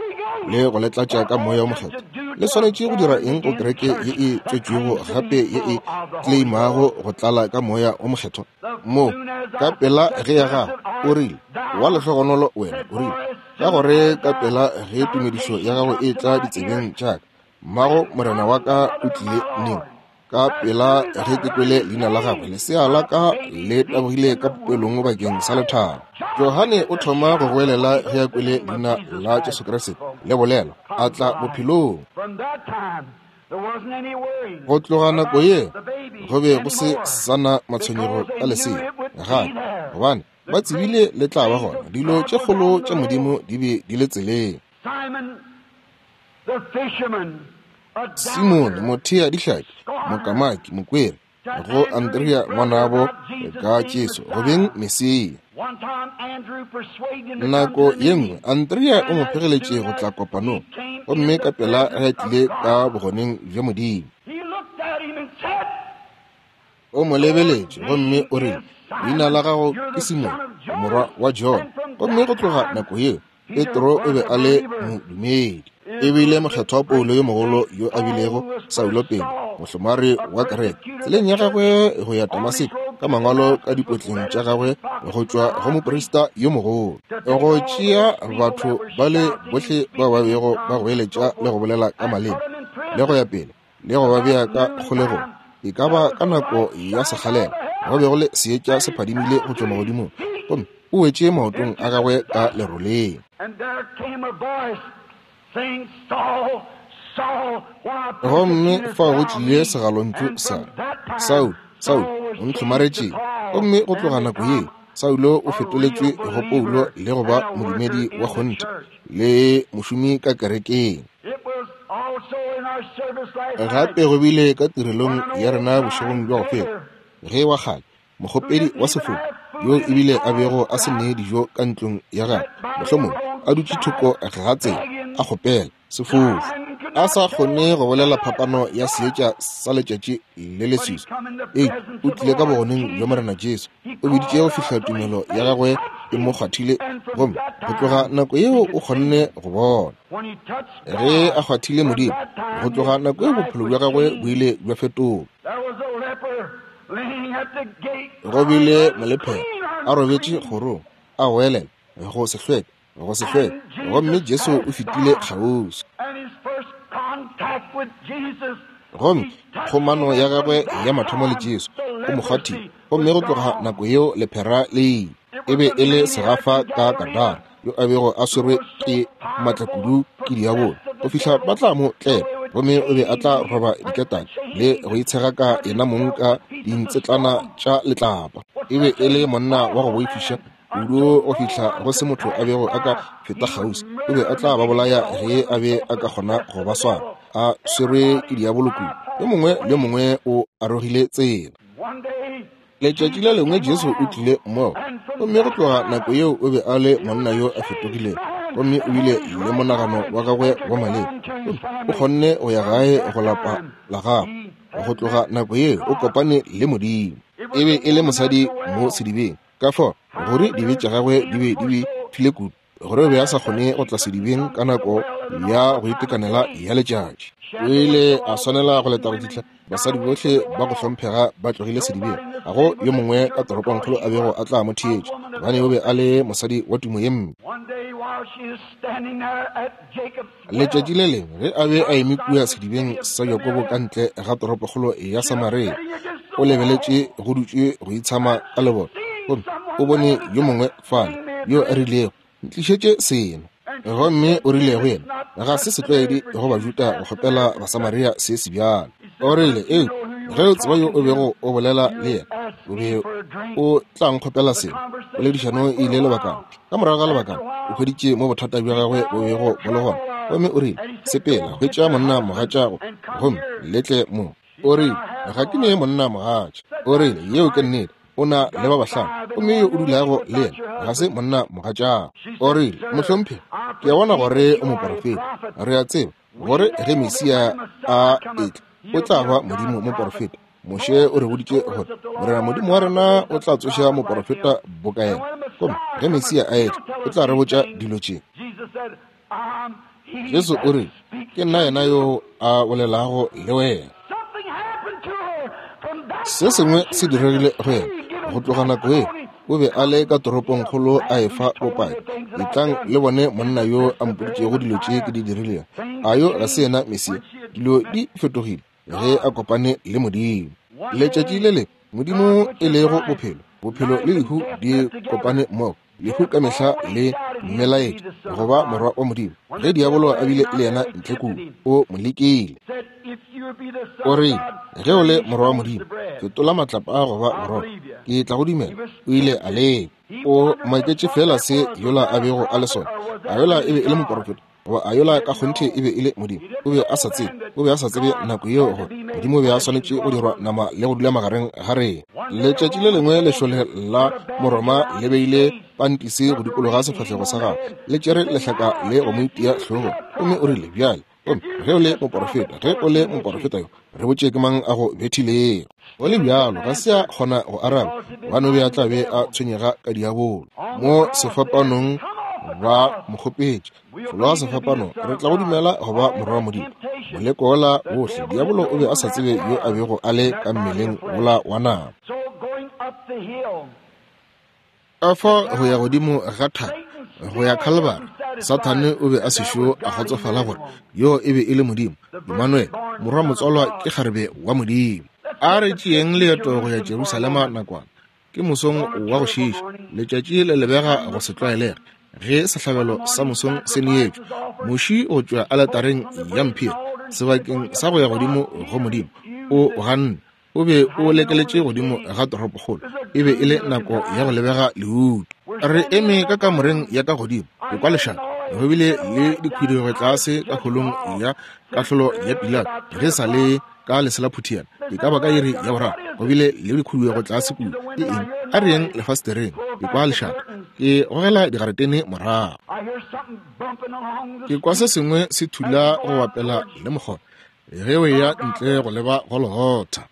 Speaker 1: le go le tlatša ka Moya wo Mokgethwa, le swanetše go dira eng go kereke ye e tswetšwego gape ye e tleimago go tlala ka Moya wo Mokgethwa? Mo, ka pela ge ya gago, o rile, wa lehlogonolo wena, o rile, ka gore ka pela ge tumedišo ya gago e tla ditsebeng tša ka, mmago Morena wa ka o tlile neng? Ka pela ge ke kwele leina la gagwe, lesea la ka le tabogile ka popelong bakeng sa lethabo. Johane o thoma go goelela ge a kwele leina la Jesu Kriste le bolelwa, a tla bophelong. Go tloga nako ye go be go se sa na matshwenyego ka lesea gape, gobane ba tsebile le tla ba gona. Dilo tše kgolo tša Modimo di be di le tseleng. Simone mothea dihlapi, mokamaki, mokwere, go Andrea ngwanabo ka Jesu go beng Mesia. Nako ye nngwe Andrea o mo phegeletše go tla kopanong, gomme ka pela ge a tlile ka bogoneng bja Modimo, o mo lebeletše gomme o rile, Leina la gago ke Simone, morwa wa Jona. Gomme go tloga nako yeo Petro o be a le modumedi. E bile mokgethwa Paulo yo mogolo yo a bilego Saulo pele, mohlomari wa kereke, tseleng ya gagwe go ya Damaseko ka mangwalo ka dipotleng tša gagwe go tšwa go moprista yo mogolo, go tšea batho ba le bohle bao ba bego ba goeletša le go bolela ka maleme le go ya pele, le go ba bea ka kgolegong. E ka ba ka nako ya sekgalela go be go le seetša se phadimile go tšwa magodimong, gomme o wetše maotong a gagwe ka leroleng. Gomme fao go tlile segalontšu sa Saulo, Saulo, o ntlhomaretšeng? Gomme go tloga nako yeo Saulo o fetoletšwe go Paulo le go ba modumedi wa kgonthe le mošomi ka kerekeng. Gape go bile ka tirelong ya rena bošegong bja go feta, ge wa kgale mokgopedi wa sefofu yo ebile a bego a se ne dijo ka ntlong ya gagwe, mohlomongwe a dutše thoko ga tsela a kgopela sefofu, a sa kgone go bolela phapano ya seetša sa letšatši le leswiswi, eupša o tlile ka bogoneng bja Morena Jesu, o biditše go fihla tumelo ya gagwe e mo kgwathile, gomme go tloga nako yeo o kgonne go bona. Ge a kgwathile Modimo, go tloga nako yeo bophelo bja gagwe bo ile bja fetoga. Go bile molephera a robetše kgorong, a goelela, go se hlweke, go se hlweke, gomme Jesu o fetile kgauswi. Gomme kgomano ya gagwe ya mathomo le Jesu, o mo kgwathile, gomme go tloga nako yeo lephera le ile. E be e le segafa ka Gadara, yo a bego a swerwe ke maatla kudu ke diabolo, go fihla ba tla mo tlela, gomme o be a tla roba diketane le go itshega ka yena mong ka dintsetlana tša letlapa. E be e le monna wa go boifiša kudu go fihla go se motho a bego a ka feta kgauswi. O be a tla ba bolaya ge a be a ka kgona go ba swara, a swerwe ke diabolo kudu. Yo mongwe le yo mongwe o arogile tsela. Letšatši le lengwe Jesu o tlile mmogo, gomme go tloga nako yeo o be a le monna yo a fetogilego, gomme o bile le monagano wa gagwe wa maleba, gomme o kgonne go ya gae go lapa la gagwe. Go tloga nako yeo o kopane le Modimo. E be e le mosadi mo sedibeng, ka fao gore dibe tša gagwe di be di befile kudu gore o be a sa kgone go tla sedibeng ka nako ya go itekanela ya letšatši. O ile a swanela go leta go fihla basadi bohle ba go hlomphega ba tlogile sedibeng. Ga go yo mongwe ka toropongkgolo a bego a tla mo theetša, gobane o be a le mosadi wa tumo ye mpe. Letšatši le lengwe ge a be a eme kua sedibeng sa Jakobo ka ntle ga toropokgolo ya Samaria, o lebeletše go dutše go itshama ka lebone, gomme o bone yo mongwe fale yo a rilego, Ntlišetše seno. Gomme o rile go yena, Ga se setlwaedi go Bajuda go kgopela Basamaria se sebjalo. O rile, Eupša ge o tseba yo o bego o bolela le yena, o be o tla nkgopela seno. Poledišano e ile lebakana. Ka morago ga lebakana, o hweditše mo bothata bja gagwe bo bego bo le gona, gomme o rile, Sepela, hwetša monna mogatšago, gomme le tle mo. O rile, Ga ke ne monna mogatša. O rile, Yeo ke nnete. O na le ba bahlano, gomme yo o dulago le yena ga se monna mogatšago. O rile, Mohlomphegi, ke a bona gore o moporofeta. Re a tseba gore ge Mesia a etla, o tla ba Modimo moporofeta. Moshe o re boditše gore Morena Modimo wa rena o tla tsoša moporofeta boka yena, gomme ge Mesia a etla, o tla re botša dilo tše. Jesu o rile, Ke nna yena yo a bolelago le wena. Se sengwe se diregile go yena go tloga nako yeo. O be a le ka toropongkgolo a efa bopaki. Etlang le bone monna yo a mpoditšego dilo tše ke di dirilego. A yo ga se yena Mesia? Dilo di fetogile. ge a kopane le Modimo. Letšatši le lengwe, Modimo e lego bophelo, bophelo le lehu di kopane mmogo. Lehu ka mehla le mmelaetša go ba morwa wa Modimo. Ge diabolo a bile le yena ntle kua, o mo lekile. O rile, Ge o le morwa wa Modimo, fetola matlapa a go ba borotho, ke tla go dumela. O ile a leka. O maketše feela se yola a bego a le sona. A yola e be e le moporofeta? Goba a yola ka kgonthe e be e le Modimo? O be a sa tsebe. O be a sa tsebe nako yeo gore Modimo o be a swanetše go dirwa nama le go dula magareng ga rena. Letšatši le lengwe lešole la Moroma le beile pantisi go dikologa sefahlego sa gagwe, le tšere lehlaka le go mo itia hlogong, gomme o rile, Bjale, gomme ge o le moporofeta, ge o le moporofeta yo, re botše ke mang a go bethilego. Go le bjalo, ga se a kgona go araba, gobane o be a tla be a tshwenyega ka diabolo. Mo sefapanong ba mo kgopetše, Fologa sefapano, re tla go dumela go ba morwa wa Modimo. Moleko wola wohle, diabolo o be a sa tsebe yo a bego a le ka mmeleng wola wa nama. Ka fa go ya godimo ga thaba, go ya Khalibari, Sathane o be a sešo a kgotsofala gore yo e be e le Modimo, Emmanuel, morwa motswalwa ke kgarebe wa Modimo. A re tšeeng leeto go ya Jerusalema nakwana. Ke mosong wa go šiiša, letšatši le lebega go se tlwaelege ge sehlabelo sa mosong se neetšwe. Muši go tšwa aletareng ya mphiri sebakeng sa go ya godimo go Modimo o ganne. O be o lekeletše godimo ga toropokgolo. E be e le nako ya go lebega leutu. Re eme ka kamoreng ya ka godimo, ke kwa lešata. Go bile le dikhuduego tlase ka holong ya kahlolo ya Pilato ge sa le ka leselaphuthiana e ka ba ka iri ya boraro. Go bile le dikhuduego tlase kua. Ke eng? A re yeng lefastereng. Ke kwa lešata. Ke gogela digaretene morago. Ke kwa se sengwe se thula go bapela le mokgona ge o eya ntle go leba Golgotha.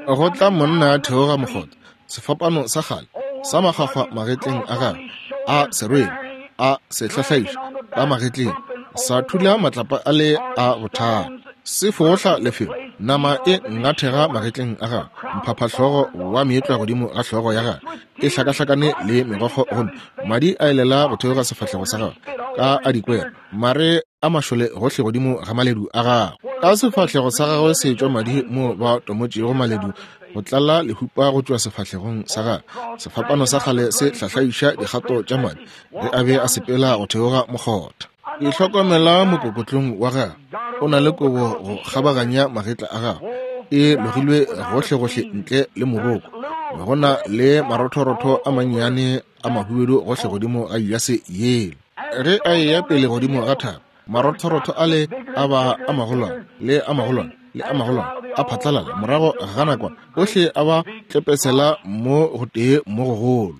Speaker 1: Go tla monna a theoga mokgotha, sefapano sa kgale sa makgwakgwa magetleng a gagwe, a se rwele, a se hlahlaiša ka magetleng, sa thula matlapa a le a bothata, se fohla lefelo, nama e ngathega magetleng a gagwe, mphaphahlogo wa meetlwa godimo ga hlogo ya gagwe e hlakahlakane le megokgo, gomme madi a elela go theoga sefahlego sa gagwe ka a dikwera, mare a mašole gohle godimo ga maledu a gagwe. Ka sefahlego sa gagwe se tšwa madi mo ba tomotšego maledu go tlala lehupa go tšwa sefahlegong sa gagwe. Sefapano sa kgale se hlahlaiša dikgato tša madi ge a be a sepela go theoga mokgotha. Ke hlokomela mokokotlong wa gagwe o na le kobo go kgabaganya magetla a gagwe, e logilwe gohlegohle ntle le moroko. Go na le marothorotho a mannyane a mahubedu gohle godimo ga jase yela. Ge a eya pele godimo ga thaba, marothorotho ale a ba a magolwane le a magolwane le a magolwane a phatlalala. Morago ga nakwana ohle a ba tlepesela mo gotee mo gogolo.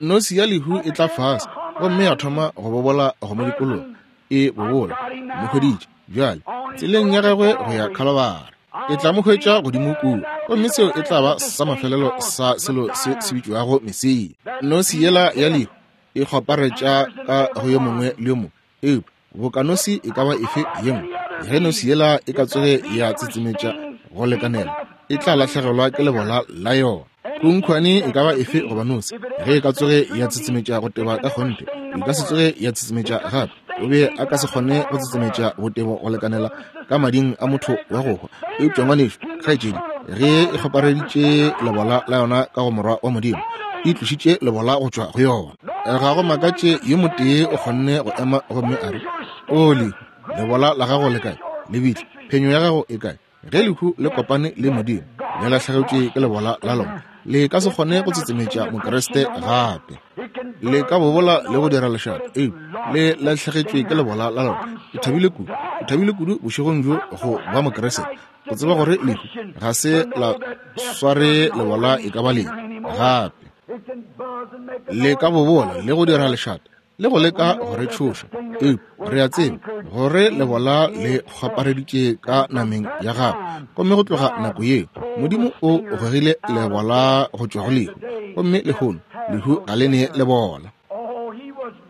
Speaker 1: Nosi ya lehu e tla fase gomme ya thoma go bobola go mo dikologa, e bobola. Mo hweditše bjale tseleng ya gagwe go ya Khalibari. E tla mo hwetša godimo kua, gomme seo e tla ba sa mafelelo sa selo se se bitšwago Mesia. Nosi yela ya lehu e kgwaparetša ka go yo mongwe le yo mongwe, eupša boka nosi e ka ba efe ye nngwe, ge nosi yela e ka tsoge ya tsetsemetša go lekanela, e tla lahlegelwa ke lebola la yona. Khunkhwane e ka ba efe goba nosi, ge e ka tsoge ya tsetsemetša go teba ka kgonthe, e ka se tsoge ya tsetsemetša gape. O be a ka se kgone go tsetsemetša botebo go lekanela ka mading a motho wa go hwa. Eupša ngwanešu, kgaetšedi, ge e kgopareditše lebola la yona ka go Morwa wa Modimo, e tlošitše lebola go tšwa go yona. Ga go makatše yo motee o kgonne go ema gomme a re, O lehu, lebola la gago le kae? Lebitla, phenyo ya gago e kae? Ge lehu le kopane le Modimo, le lahlegetšwe ke lebola la lona. Le ka se kgone go tsetsemetša Mokriste gape. Le ka bobola le go dira lešata, eupša le lahlegetšwe ke lebola la lona. Ke thabile kudu, ke thabile kudu bošegong bjo go ba Mokriste, go tseba gore lehu ga se la sware lebola e ka ba lefe gape. Le ka bobola le go dira lešata le go leka go re tšhoša, eupša re a tseba gore lebola le kgwapareditše ka nameng ya gagwe. Gomme go tloga nako yeo, Modimo o gogile lebola go tšwa go lehu, gomme lehono lehu ga le ne lebola.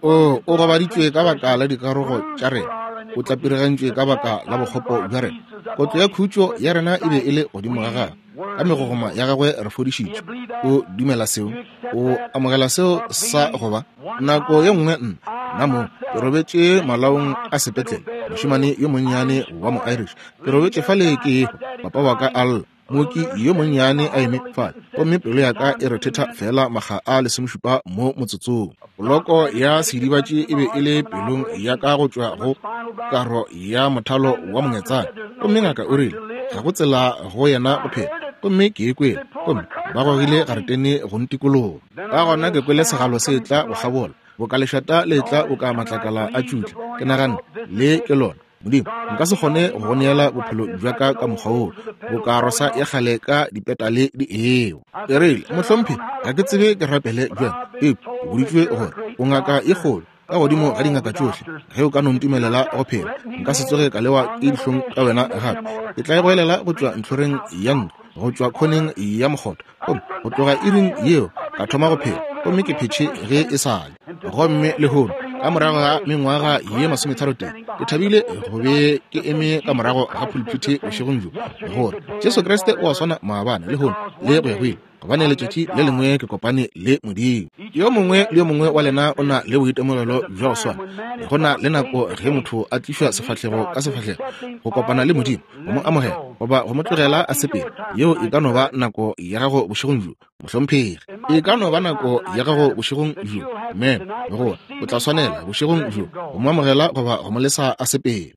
Speaker 1: O, o gobaditšwe ka baka la dikarogo tša rena, o tlapirigantšwe ka baka la bokgopo bja rena. Kotlo ya khutšo ya rena e be e le godimo ga gagwe, ka megogoma ya gagwe re fodišitšwe. O dumela seo? O amogela seo sa go ba? Nako ye nngwe nna, Nna mong ke robetše malaong a sepetlele, mošemane yo monnyane wa mo-Irish. Ke robetše fale ke ehwa, papa wa ka a lla, mooki yo monnyane a eme fale, gomme pelo ya ka e rethetha feela makga a 17 mo motsotsong. Poloko ya seidibatši e be e le pelong ya ka go tšwa go karo ya mothalo wa mongetsane, gomme ngaka o rile ga go tsela go yena go phela. Gomme ke e kwele, gomme ba gogile garetene go ntikologa. Ka gona ke kwele segalo se tla go kgabola, boka lešata le tla boka matlakala a tšutla. Ke naganne, le ke lona. Modimo, nka se kgone go go neela bophelo bja ka ka mokgwa woo, boka rosa ya kgale ka dipetale di ewa. Ke rile, Mohlomphegi, ga ke tsebe ke rapele bjang, eupša ke boditšwe gore o ngaka ye kgolo ka godimo ga dingaka tšohle. Ge o ka no ntumelela go phela, nka se tsoge ka lewa ke dihlong ka wena gape. Ke tla e goelela go tšwa ntlhoreng ya ntlo, go tšwa khoneng ya mokgotha. Gomme go tloga iring yeo ka thoma go phela, gomme ke phetše ge e sa le. Gomme lehono, ka morago ga mengwaga ye 33, ke thabile go be ke eme ka morago ga pulpiti bošegong bjo, gore Jesu Kriste o a swana maabane, lehono, le go ya go ile, gobane letšatši le lengwe ke kopane le Modimo. Yo mongwe le yo mongwe wa lena o na le boitemogelo bja go swana. Go na le nako ge motho a tlišwa sefahlego ka sefahlego go kopana le Modimo, go mo amogela goba go mo tlogela a sepele. Yeo e ka no ba nako ya gago bošegong bjo, mohlomphegi. E ka no ba nako ya gago bošegong bjo, mem, gore o tla swanela bošegong bjo go mo amogela goba go mo lesa a sepele.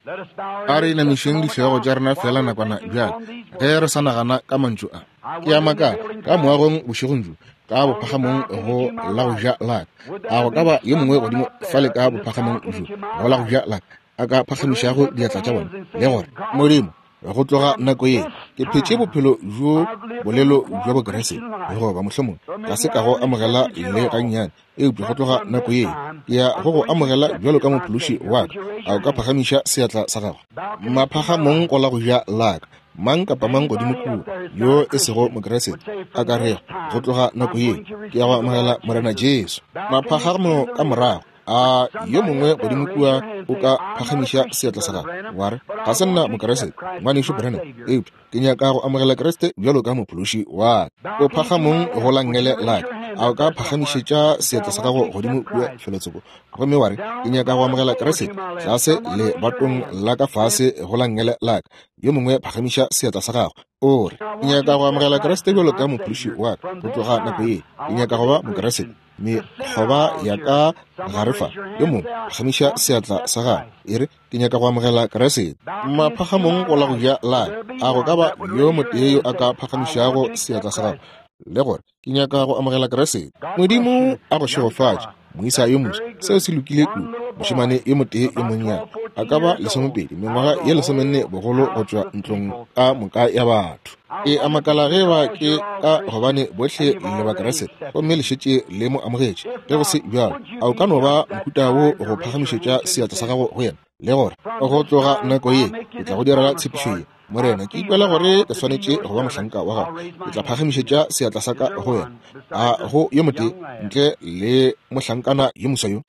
Speaker 1: A re inamišeng dihlogo tša rena feela nakwana bjale ge re sa nagana ka mantšu a. Ke a makala ka moagong bošegong bjo, ka bophagamong go la go ja la ka, a go ka ba yo mongwe godimo fale ka bophagamong bjo go la go ja la ka a ka phagamišago diatla tša bona le gore, Modimo, go tloga nako ye ke phetše bophelo bjo bolelo bja Bokriste, goba mohlomongwe ga se ka go amogela le gannyane, eupša go tloga nako ye ke ya go go amogela bjalo ka mophološi wa ka. A o ka phagamiša seatla sa gago maphagamong go la go ja la ka? Mang kapa mang godimo kua yo e sego Mokriste a ka rego, go tloga nako ye ke ya go amogela Morena Jesu. Maphagamo ka morago, a yo mongwe godimo kua o ka phagamiša seatla sa gago wa re, ga se nna Mokriste, Ngwanešu Branham, eupša ke nyaka go amogela Kriste bjalo ka mophološi wa ka. O phagamong go la nngele la ka, a o ka phagamišetša seatla sa gago godimo kua felotsoko gomme wa re, ke nyaka go amogela Kriste tlase lebatong la ka fase go la nngele la ka? Yo mongwe phagamiša seatla sa gago o re, ke nyaka go amogela Kriste bjalo ka mophološi wa ka. Go tloga nako ye ke nyaka go ba Mokriste. Mekgoba ya ka gare fa, yo mongwe phagamiša seatla sa gago e re, ke nyaka go amogela Kriste. Maphagamong go la go ja la a go ka ba yo motee yo a ka phagamišago seatla sa gago le gore, ke nyaka go amogela Kriste. Modimo a go šegofatše, moisa yo moswa. Seo se lokile kudu. Mošemane yo motee yo monnyane, a ka ba 20, mengwaga ye 14 bogolo, go tšwa ntlong ka moka ya batho. Ke a makala ge ba ke ka gobane bohle le Bakriste gomme le šetše le mo amogetše. Ge go se bjalo, a o ka no ba mohuta wo go phagamišetša seatla sa gago go yena le gore, go tloga nako ye ke tla go direla tshepišo ye, Morena, ke ikwela gore ke swanetše go ba mohlanka wa gago. Ke tla phagamišetša seatla sa ka go wena. A go yo motee ntle le mohlankana yo moswa yo?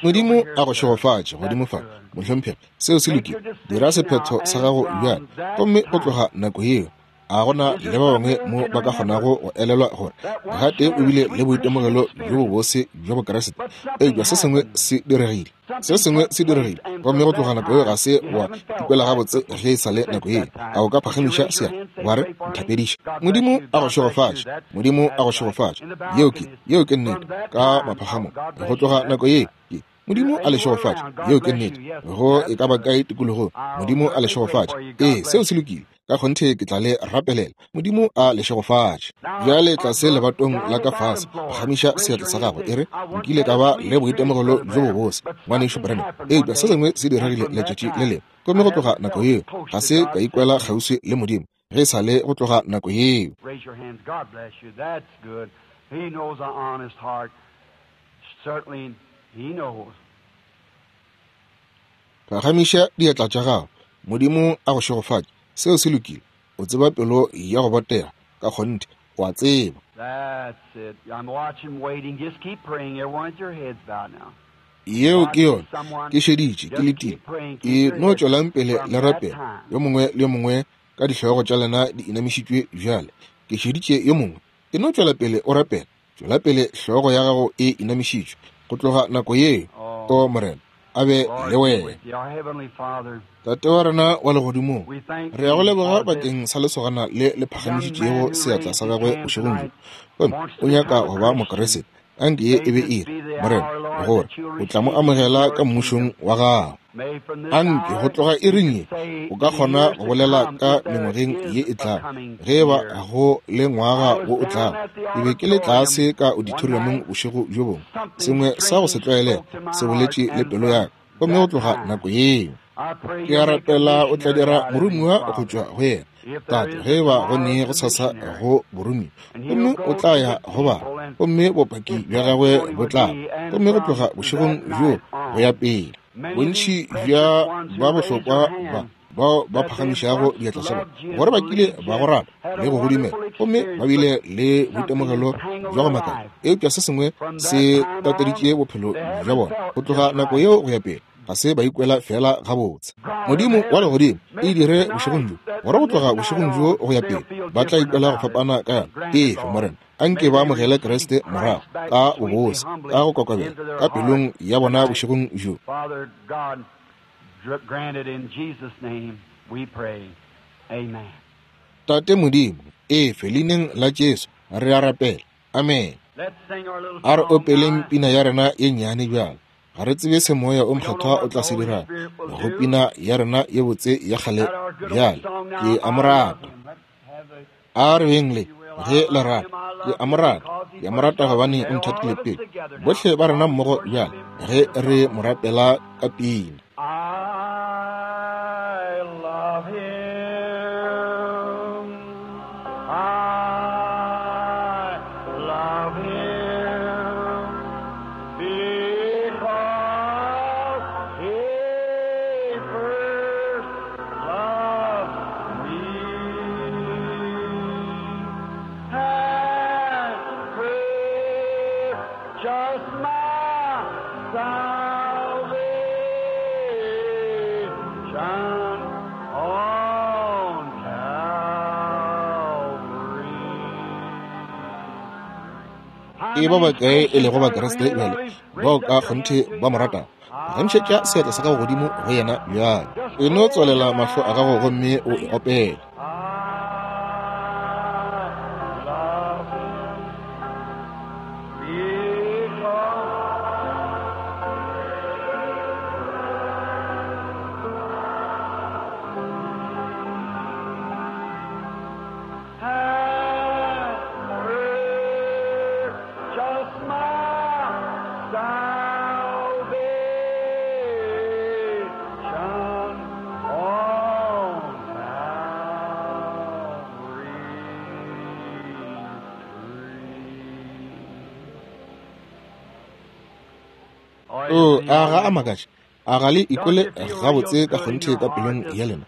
Speaker 1: Modimo a go šegofatše godimo fa, mohlomphegi. Seo se lokile. Dira sephetho sa gago bjale. Gomme go tloga nako yeo, a go na le ba bangwe mo ba ka kgonago go elelwa gore gatee o bile le boitemogelo bjo bobose bja Bokriste, eupša se sengwe se diregile. Se sengwe se diregile, gomme go tloga nako yeo ga se wa ikwela gabotse ge e sa le nako yeo. A o ka phagamiša seatla wa re, Nthapediše? Modimo a go šegofatše. Modimo a go šegofatše. Yeo ke, yeo ke nnete, ka maphagamong. Go tloga nako yeo, ke, Modimo a le šegofatše. Yeo ke nnete. Go e ka ba kae tikologong, Modimo a le šegofatše. Ee, seo se lokile. Ka kgonthe ke tla le rapelela. Modimo a le šegofatše. Bjale tlase lebatong la ka fase, phagamiša seatla sa gago, e re, Nkile ka ba le boitemogelo bjo bobose, Ngwanešu Branham, eupša se sengwe se diregile letšatši le lengwe, gomme go tloga nako yeo ga se ka ikwela kgauswi le Modimo ge e sa le go tloga nako yeo. Phagamiša diatla tša gago. Modimo a go šegofatše. Seo se lokile. O tseba pelo ya go botega. Ka kgonthe, o a tseba. Yeo ke yona. Ke šeditše, ke letile. E no tšwelang pele le rapela, yo mongwe le yo mongwe ka dihlogo tša lena di inamišitšwe bjale. Ke šeditše yo mongwe. E no tšwela pele o rapela. Tšwela pele hlogo ya gago e inamišitšwe go tloga nako yeo. O Morena, a be le wena. Tate wa rena wa legodimong, re ya go leboga bakeng sa lesogana le le phagamišitšego seatla sa gagwe bošegong bjo. Gomme o nyaka go ba Mokriste. Anke ye e be iri, Morena, gore o tla mo amogela ka mmušong wa gago. Anke go tloga iring ye o ka kgona go bolela ka mengwageng ye e tlago, ge e ba go le ngwaga wo o tlago. Ke be ke le tlase ka auditoriumong bošego bjo bongwe, sengwe sa go se tlwaelega se boletše le pelo ya ka, gomme go tloga nako yeo ke a rapela o tla dira moromiwa go tšwa go yena. Tate, ge e ba go ne go sasa go boromiwa, gomme o tla ya go ba, gomme bopaki bja gagwe bo tla, gomme go tloga bošegong bjo go ya pele, bontši bja ba bohlokwa ba bao ba phagamišago diatla tša bona gore ba kile ba go rata le go godimela, gomme ba bile le boitemogelo bja go makatša, eupša se sengwe se tateditše bophelo bja bona go tloga nako yeo go ya pele, ga se ba ikwela fela gabotse. Modimo wa legodimo, e dire bošegong bjo gore go tloga bošegong bjo go ya pele ba tla ikwela go fapana ka yona. Efe, Morena, anke ba amogele Kriste morago ka bobose, ka go kokobela ka pelong ya bona bošegong bjo. Tate Modimo, efe, leineng la Jesu re a rapela. Amen. A re opeleng pina ya rena ye nnyane bjalo. Ga re tsebe se Moya o Mokgethwa o tla se dirago go pina ya rena ye botse ya kgale bjale. Ke a mo rata. A re beng le ge le rata. Ke a mo rata. Ke a mo rata gobane o nthatile pele. Bohle ba rena mmogo bjale ge re mo rapela ka pina.
Speaker 2: I love him. I love him because he first loved me and purchased my salvation on Calvary.
Speaker 1: E ba bakae e lego Bakriste bjale bao ka kgonthe ba mo ratago? Phagamišetša seatla sa gago godimo go yena bjale. E no tswalela mahlo a gago gomme o e opele.
Speaker 2: I love him because and purchased my salvation on Calvary.
Speaker 1: O a ga a makatše? A ga le ikwele gabotse ka kgonthe ka pelong ya lena?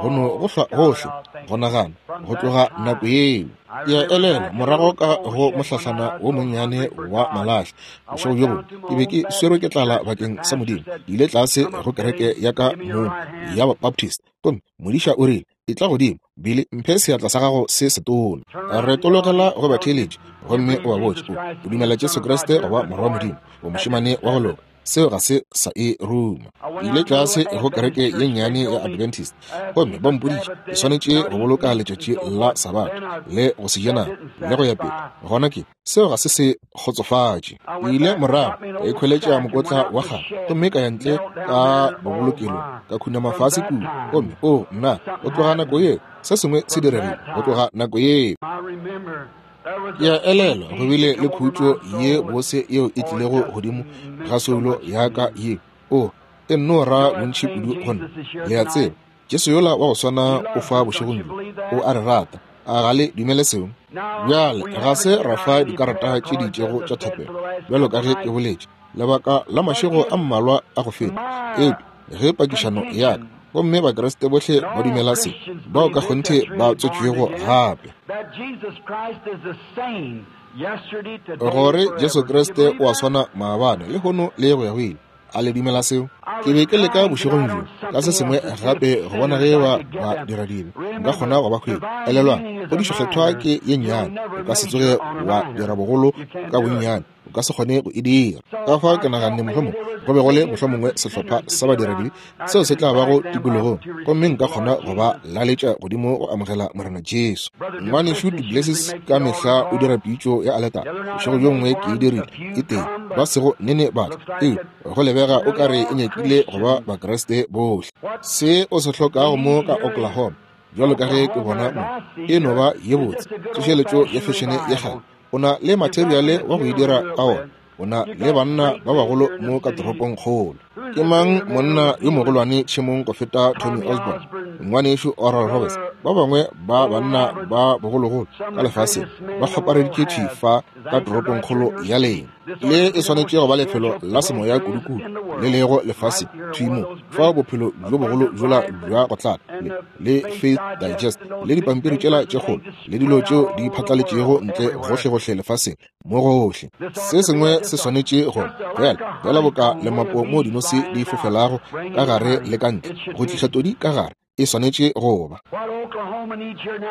Speaker 1: Go no go hlwa gohle go nagana go tloga nako yeo. Ke a elelwa morago ka go mohlahlana wo monnyane wa malahla bošego bjo bongwe, ke be ke swerwe ke tlala bakeng sa Modimo. Ke ile tlase go kereke ya ka mong ya Baptist, gomme modiša o rile, Etla godimo, Billy, mphe seatla sa gago se setona. Retologela go batheeletši gomme o ba botše, o dumela Jesu Kriste go ba Morwa wa Modimo, o mošemane wa go loka. Seo ga se sa e ruma. Ke ile tlase go kereke ye nnyane ya Adventist, gomme ba mpoditše ke swanetše go boloka letšatši la Sabatha le go se je nama le go ya pele. Gona ke seo ga se se kgotsofatše. Ke ile morago ka ikhweletša mokotla wa kgale gomme ka ya ntle ka bobolokelong, ka khunama fase kua, gomme o nna, go tloga nako yeo se sengwe se diregile. Go tloga nako yeo
Speaker 2: I remember there was
Speaker 1: ke a
Speaker 2: a
Speaker 1: elelwa go
Speaker 2: peace
Speaker 1: bile
Speaker 2: that
Speaker 1: le
Speaker 2: came over
Speaker 1: khutšo
Speaker 2: my soul
Speaker 1: ye
Speaker 2: which
Speaker 1: bose yeo e
Speaker 2: oh, it
Speaker 1: tlilego
Speaker 2: just
Speaker 1: godimo
Speaker 2: meant
Speaker 1: ga
Speaker 2: so
Speaker 1: soulo
Speaker 2: much to
Speaker 1: ya ka
Speaker 2: me.
Speaker 1: ye. O e nno ra
Speaker 2: You know that
Speaker 1: bontši
Speaker 2: same
Speaker 1: kudu go nna.
Speaker 2: Jesus is here
Speaker 1: Le a tseba,
Speaker 2: tonight.
Speaker 1: Jesu yola wa go swana
Speaker 2: He
Speaker 1: o
Speaker 2: loves
Speaker 1: fa
Speaker 2: us. Don't
Speaker 1: bošegong
Speaker 2: you
Speaker 1: bjo.
Speaker 2: believe
Speaker 1: O
Speaker 2: that?
Speaker 1: a re rata. A ga le dumele seo?
Speaker 2: Now
Speaker 1: Bjale
Speaker 2: we
Speaker 1: ga
Speaker 2: haven't
Speaker 1: se
Speaker 2: given
Speaker 1: ra
Speaker 2: out
Speaker 1: fa
Speaker 2: any
Speaker 1: dikarata
Speaker 2: prayer
Speaker 1: tše di
Speaker 2: cards,
Speaker 1: itšego
Speaker 2: as
Speaker 1: tša
Speaker 2: I said,
Speaker 1: thapelo,
Speaker 2: for the last
Speaker 1: bjalo ka
Speaker 2: couple
Speaker 1: ge ke
Speaker 2: nights.
Speaker 1: boletše lebaka la
Speaker 2: But
Speaker 1: mašego
Speaker 2: if
Speaker 1: a mmalwa a go feta.
Speaker 2: my
Speaker 1: Eupša ge pakišano ya ka,
Speaker 2: contention,
Speaker 1: gomme Bakriste bohle
Speaker 2: and
Speaker 1: ba
Speaker 2: all
Speaker 1: dumela se,
Speaker 2: Christians
Speaker 1: bao
Speaker 2: believe
Speaker 1: ka
Speaker 2: this
Speaker 1: kgonthe
Speaker 2: that's
Speaker 1: ba
Speaker 2: really born
Speaker 1: tswetšwego
Speaker 2: again,
Speaker 1: gape,
Speaker 2: that Jesus Christ is the same yesterday, today, and
Speaker 1: gore Jesu
Speaker 2: forever. Do you
Speaker 1: Kriste
Speaker 2: believe
Speaker 1: o a
Speaker 2: that?
Speaker 1: swana maabane, lehono le go ya go ile. A le dumela seo?
Speaker 2: I
Speaker 1: Ke
Speaker 2: was
Speaker 1: be ke leka
Speaker 2: trying
Speaker 1: bošegong
Speaker 2: tonight
Speaker 1: bjo
Speaker 2: on
Speaker 1: ka se
Speaker 2: something
Speaker 1: sengwe
Speaker 2: else to see if
Speaker 1: gape go bona
Speaker 2: sinners
Speaker 1: ge
Speaker 2: I
Speaker 1: ba
Speaker 2: could get
Speaker 1: ba
Speaker 2: them.
Speaker 1: dira dibe nka
Speaker 2: Remember,
Speaker 1: kgona go ba hwetša.
Speaker 2: divine
Speaker 1: Elelwang,
Speaker 2: meaning is a
Speaker 1: kgodišo kgethwa
Speaker 2: minor.
Speaker 1: ke ye
Speaker 2: You'll
Speaker 1: nnyane,
Speaker 2: never
Speaker 1: o ka se
Speaker 2: major
Speaker 1: tsoge
Speaker 2: on a
Speaker 1: wa
Speaker 2: minor.
Speaker 1: dira bogolo
Speaker 2: You can't
Speaker 1: ka
Speaker 2: do it.
Speaker 1: bonnyane. O ka se kgone go e dira. Ka fa ke naganne mohlomongwe go be go le mohlomongwe sehlopha sa badiradibe seo se tla bago tikologong, gomme nka kgona go ba laletša godimo go amogela Morena Jesu. Ngwanešu duPlessis ka mehla o dira pitšo ya aletara. Bošego bjo bongwe ke e dirile, e tee, ba sego nene ba tla, eupša go lebega o ka re e nyakile go ba Bakriste bohle. Se o se hlokago mo ka Oklahoma, bjalo ka ge ke bona mo, e no ba ye botse, tsošeletšo ya fešene ya kgale. O na le materiale wa go e dira ka wona. O na le banna ba bagolo mo ka toropongkgolo. Ke mang monna yo mogolwane tšhemong go feta Tommy Osborn, ngwanešu Oral Roberts, ba bangwe ba banna ba bogologolo ka lefaseng ba kgopareditše thwi fa ka toropongkgolo ya lena. Le e swanetše go ba lefelo la semoya kudukudu le lego lefaseng thwi mo, fao bophelo bjo bogolo bjola bja go tlala le, le Faith Digest le dipampiri tšela tše kgolo le dilo tšeo di phatlaletšego ntle gohlegohle lefaseng mo gohle. Se sengwe se swanetše go bjale bjala boka lemapo mo dinose di fofelago ka gare le ka ntle go tliša todi ka gare. E swanetše go ba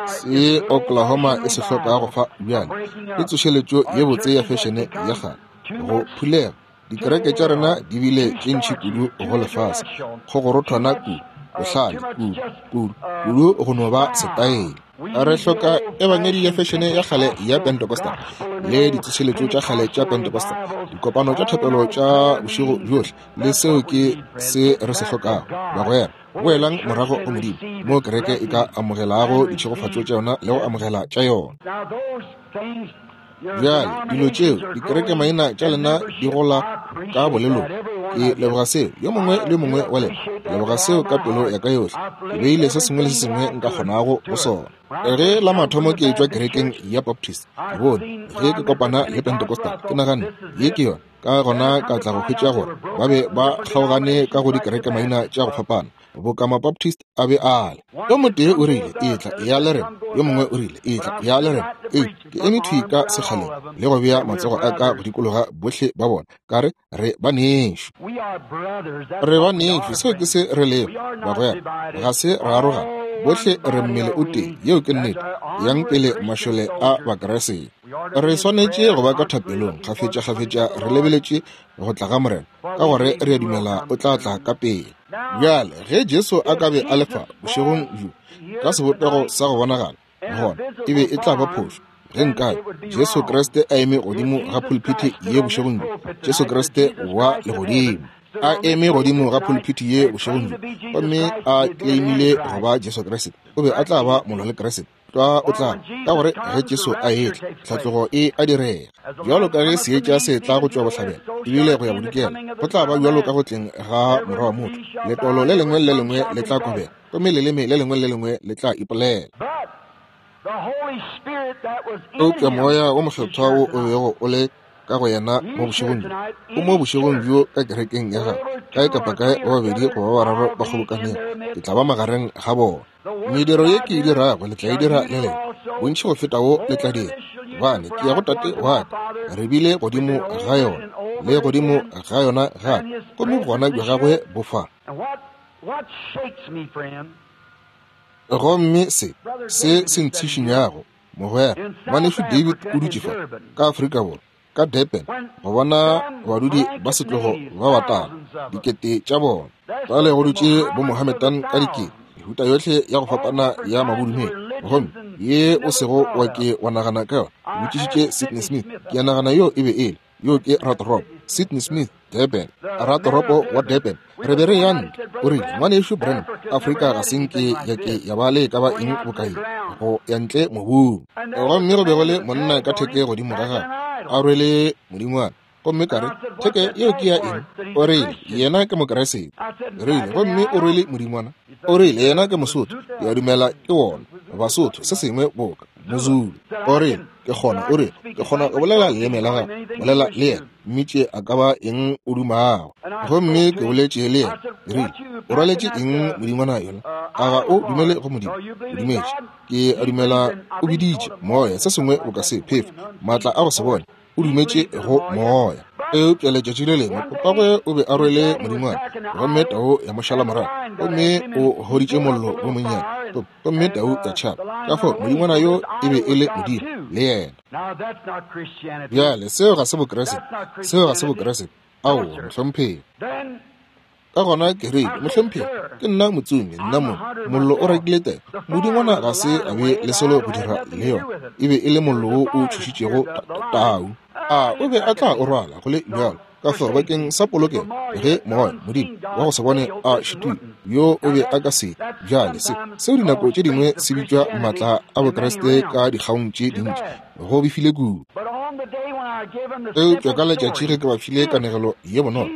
Speaker 1: se Oklahoma e se hlokago fa bjale ke tsošeletšo ye botse ya fešene ya kgale go phulega. Dikereke tša rena di bile tše ntši kudu go lefase, kgogorothwana kudu, bohlale kudu, kudu, kudu go no ba setaele. Re hloka ebangedi ya fešene ya kgale ya Pentecostal le ditsošeletšo tša kgale tša Pentecostal, dikopano tša thapelo tša bošego bjohle, le seo ke se re se hlokago, bagwera. Boelang morago go Modimo, moo kereke e ka amogelago ditšhegofatšo tša yona le go amogela tša yona. Bjale, dilo tšeo, dikerekemaina tša lena di gola ka bolelong. Ke leboga seo, yo mongwe le yo mongwe wa lena. Ke leboga seo ka pelo ya ka yohle. Ke beile se sengwe le se sengwe nka kgonago go sona. Ge la mathomo ke etšwa kerekeng ya Baptist, ke bone ge ke kopana le Pentecostal, ke naganne, ye ke yona. Ka gona ka tla go hwetša gore ba be ba kgaogane ka go dikerekemaina tša go fapana, boka Mabaptist a be a le. Yo motee o rile, Etla, eya le rena. Yo mongwe o rile, Etla, eya le rena. Ee, ke eme thwi ka sekgaleng le go bea matsogo a ka go dikologa bohle ba bona, ka re, Re banešu. Re banešu, seo ke se re lego, bagwera. Ga se ra arogana. Bohle re mmele o tee. Yeo ke nnete. Yang pele, mašole a Bakriste. Re swanetše go ba ka thapelong kgafetšakgafetša re lebeletše go tla ga Morena, ka gore re a dumela o tla tla ka pele. Bjale, ge Jesu a ka be a le fa bošegong bjo ka sebopego sa go bonagala, gona e be e tla ba phošo ge nkabe Jesu Kriste a eme godimo ga pulpiti ye bošegong bjo, Jesu Kriste wa legodimo a eme godimo ga pulpiti ye bošegong bjo gomme a claimile go ba Jesu Kriste, o be a tla ba molwa le Kriste. Tlwa o tla, ka gore ge Jesu a etla, tlhatlogo e a direga. Bjalo ka ge seetša se tla go tšwa bohlabela ebile go ya bodikela, go tla ba bjalo ka go tleng ga Morwa wa motho. Letolo le lengwe le le lengwe le tla kobega, gomme leleme le lengwe le le lengwe le tla ipolela. Eupša Moya wo Mokgethwa wo o bego o le ka go yena mo bošegong bjo, o mo bošegong bjo ka kerekeng ya gagwe. Kae kapa kae ba babedi goba ba bararo ba kgobokanego, ke tla ba magareng ga bona. Mediro ye ke e dirago le tla e dira le lena, bontši go feta wo le tla dira, gobane ke ya go Tate wa ka. Re bile godimo ga yona le godimo ga yona gape, gomme bogona bja gagwe bo fa. Gomme se, se se ntshišinyago, mogwera, ngwanešu David o dutše fa ka Afrika Borwa, ka Durban, go bona badudi ba setlogo ba batala, dikete tša bona. Bjale go dutše bo Mohammedan ka dikete, mehuta yohle ya go fapana ya mabodumedi, gomme ye o sego wa ke wa nagana ka yona. Ke botšišitše Sidney Smith, ke a nagana yo e be e le, yo ke ratoropo, Sidney Smith, Durban, ratoropo wa Durban. Re be re ya ntle, o rile, Ngwanešu Branham, Afrika ga se nke ya ke ya ba le e ka ba eng boka ye, go ya ntle mobung. Gomme go be go le monna ka theke godimo ga gagwe, a rwele modingwana. Gomme ka re, Theke yeo ke ya eng? O rile, Yena ke Mokriste. Ke rile, Gomme o rwele modingwana? O rile, Yena ke Mosotho. Ke a dumela ke wona, Basotho, se sengwe boka Mozulu. O rile, Ke kgona, o rile, ke kgona go bolela leleme la gago. Bolela le yena, mmitše a ka ba eng o dumago. Gomme ke boletše le yena. Ke rile, O rwaletše eng modingwana yola? A ga o dumele go Modimo? O dumetše. Ke a dumela o biditše moya, se sengwe boka se, phefo, maatla a go se bone. O dumetše go moya. Eupša letšatši le lengwe papagwe o be a rwele modingwana, gomme tau ya mo šala morago, gomme o hoditše mollo wo monnyane, gomme tau ya tšhaba. Ka fao modingwana yo e be e le modimo le yena. Bjale seo ga se Bokriste, seo ga se Bokriste. Aowa, mohlomphegi. Ka gona ke rile, Mohlomphegi, ke nna motsomi, nna mong. Mollo o rakile tau. Modingwana ga se a be le selo go dira le yona. E be e le mollo wo o tšhošitšego tau. A o be a tla o rwala go le bjalo? Ka fao bakeng sa polokelo, ge moya, Modimo wa go se bone a šitile, yo o be a ka se. Bjale se, seo dinako tše dingwe se bitšwa maatla a Bokriste ka dikgaong tše dintši, go befile kudu. Eupša ka letšatši ge ke ba file kanegelo ye bonolo,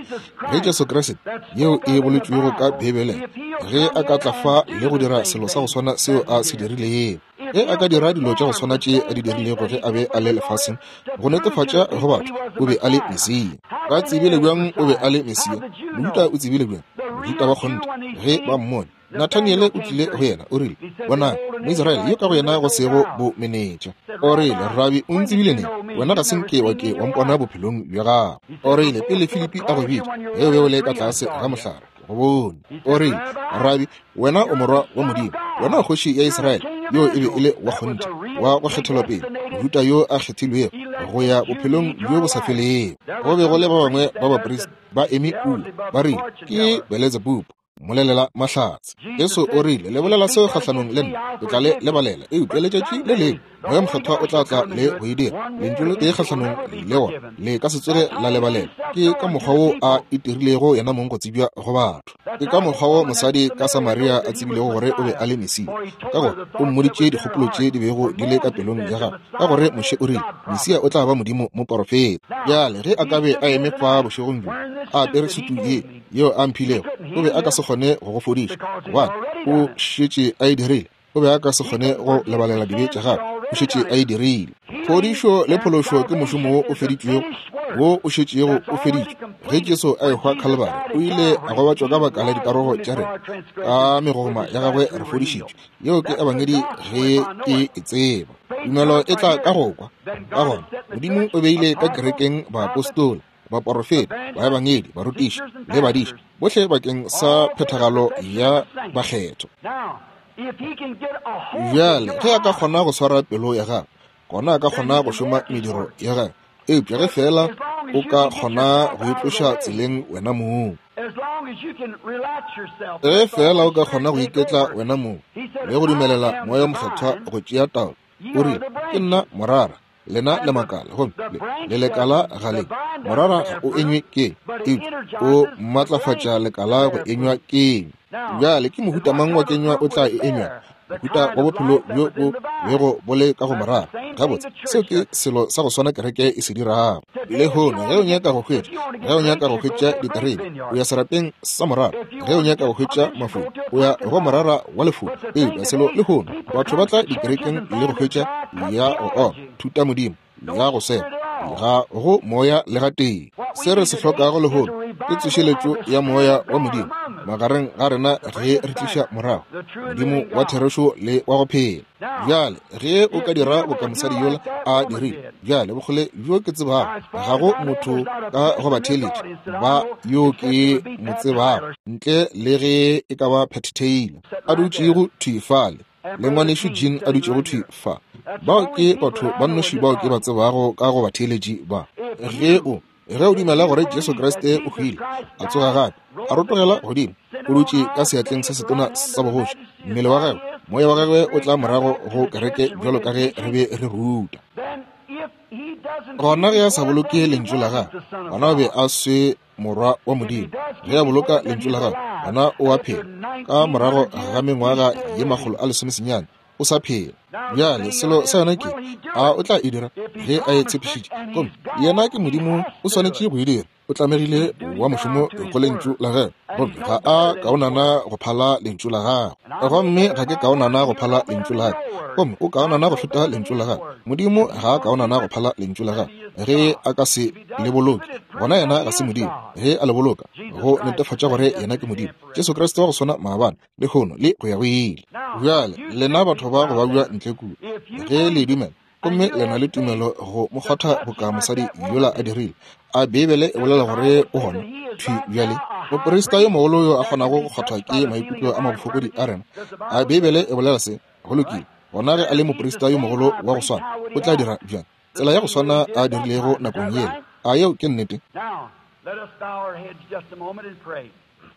Speaker 1: ge Jesu Kriste, yeo e boletšwego ka Beibeleng, ge a ka tla fa le go dira selo sa go swana seo a se dirilego, ge a ka dira dilo tša go swana tše a di dirilego ge a be a le lefaseng, go netefatša go batho o be a le Mesia. Ba tsebile bjang o be a le Mesia? Mojuda o tsebile bjang? Mojuda ba kgonthe, ge ba mmone. Nathaniele o tlile go yena, o rile, Bonang, Moisraele yo ka go yena go sego bomenetša. O rile, Rabi, o ntsebile neng? Wena ga se nke wa ke wa mpona bophelong bja gago. O rile, Pele Filipi a go bitša, ge o be o le ka tlase ga mohlare, ke go bone. O rile, Rabi, wena o Morwa wa Modimo, wena o Kgoši ya Israele. Yo e be e le wa kgonthe, wa go kgethelwa pele, Mojuda yo a kgethilwego go ya bophelong bjo bo sa felego. Go be go le ba bangwe ba baprista ba eme kua, ba rile, Ke Beletsebubu, mmolelela mahlatse. Jesu o rile, Le bolela seo kgahlanong le nna, ke tla le lebalela. Eupša letšatši le lengwe Moya Mokgethwa o tla tla le go e dira. Lentšu le tee kgahlanong le wona le ka se tsoge la lebalela. Ke ka mokgwa wo a itirilego yena mong go tsebja go batho. Ke ka mokgwa wo mosadi ka Samaria a tsebilego gore o be a le Mesia, ka gore o mmoditše dikgopolo tše di bego di le ka pelong ya gagwe, ka gore Moshe o rile Mesia o tla ba Modimo moporofeta. Bjale ge a ka be a eme fa bošegong bjo a apere sutu ye yeo a mphilego, o be a ka se kgone go go fodiša, gobane o šetše a e dirile. O be a ka se kgone go lebalela dibe tša gagwe, o šetše a e dirile. Phodišo le phološo ke mošomo wo o feditšwego, wo o šetšego o feditšwe. Ge Jesu a ehwa Khalibari, o ile a gobatšwa ka baka la dikarogo tša rena, ka megogoma ya gagwe re fodišitšwe. Yeo ke Ebangedi ge ke e tseba. Tumelo e tla ka go kwa. Ka gona, Modimo o beile ka kerekeng baapostola, baporofeta, baebangedi, barutiši le badiši, bohle bakeng sa phethagalo ya bakgethwa. Bjale, ge a ka kgona go swara pelo ya gagwe, gona a ka kgona go šoma mediro ya gagwe. Eupša ge feela o ka kgona go itloša tseleng wena mong, ge feela o ka kgona go iketla wena mong le go dumelela Moya Mokgethwa go tšea taolo, o rile, Ke nna morara, lena le makala, gomme le lekala ga le. Morara ga o enywe ke, eupša o matlafatša lekala go enywa kenywa. Bjale ke mohuta mang wa kenywa o tla e enywa? Mohuta wa bophelo bjo bo bego bo le ka go morara. Gabotse, seo ke selo sa go swana kereke e se dirago lehono. Ge o nyaka go hwetša, ge o nyaka go hwetša diterebe, o ya serapeng sa morara. Ge o nyaka go hwetša mafulo, o ya go morara wa lefulo. Eupša selo lehono, batho ba tla dikerekeng le go hwetša ya go oma thutamodimo ya go seba, ga go moya le gatee. Se re se hlokago lehono ke tsošeletšo ya moya wa Modimo magareng ga rena ge re tliša morago Modimo wa therešo le wa go phela. Bjale ge o ka dira boka mosadi yola a dirile, bjale bokgole bjo ke tsebago, ga go motho ka go batheeletši ba yo ke mo tsebago ntle le ge e ka ba Pat Taylor a dutšego thwi fale le ngwanešu Jean a dutšego thwi fa. Bao ke batho ba nnoši bao ke ba tsebago ka go batheeletši ba. Ge o Ge o dumela gore Jesu Kriste o hwile, a tsoga gape, a rotogela godimo, o dutše ka seatleng se setona sa bogoši, mmele wa gagwe, moya wa gagwe o tla morago go kereke bjalo ka ge re be re ruta. Gona ge a sa boloke lentšu la gagwe, gona o be a se morwa wa Modimo. Ge a boloka lentšu la gagwe, gona o a phela. Ka morago ga mengwaga ye 190, o sa phela. Bjale selo sa yona ke, a o tla e dira ge a e tshepišitše? Gomme yena ke Modimo, o swanetše go e dira. O tlamegile wa mošomo go lentšu la gagwe, gomme ga a kaonana go phala lentšu la gagwe. Gomme ga ke kaonana go phala lentšu la gagwe, gomme o kaonana go feta lentšu la gagwe. Modimo ga a kaonana go phala lentšu la gagwe. Ge a ka se le boloke, gona yena ga se Modimo. Ge a le boloka, go netefatša gore yena ke Modimo. Jesu Kriste wa go swana maabane, lehono le go ya go ile. Bjale lena batho ba go babja ntle kua, ge le dumela, Gomme le na le tumelo go mo kgwatha boka mosadi yola a dirile. A Beibele e bolela gore o gona thwi bjale? Moprista yo mogolo yo a kgonago go kgwathwa ke maikutlo a mabofokodi a rena. A Beibele e bolela se? Go lokile. Gona ge a le moprista yo mogolo wa go swana, o tla dira bjang? Tsela ya go swana a dirilego nakong yela. A yeo ke nnete?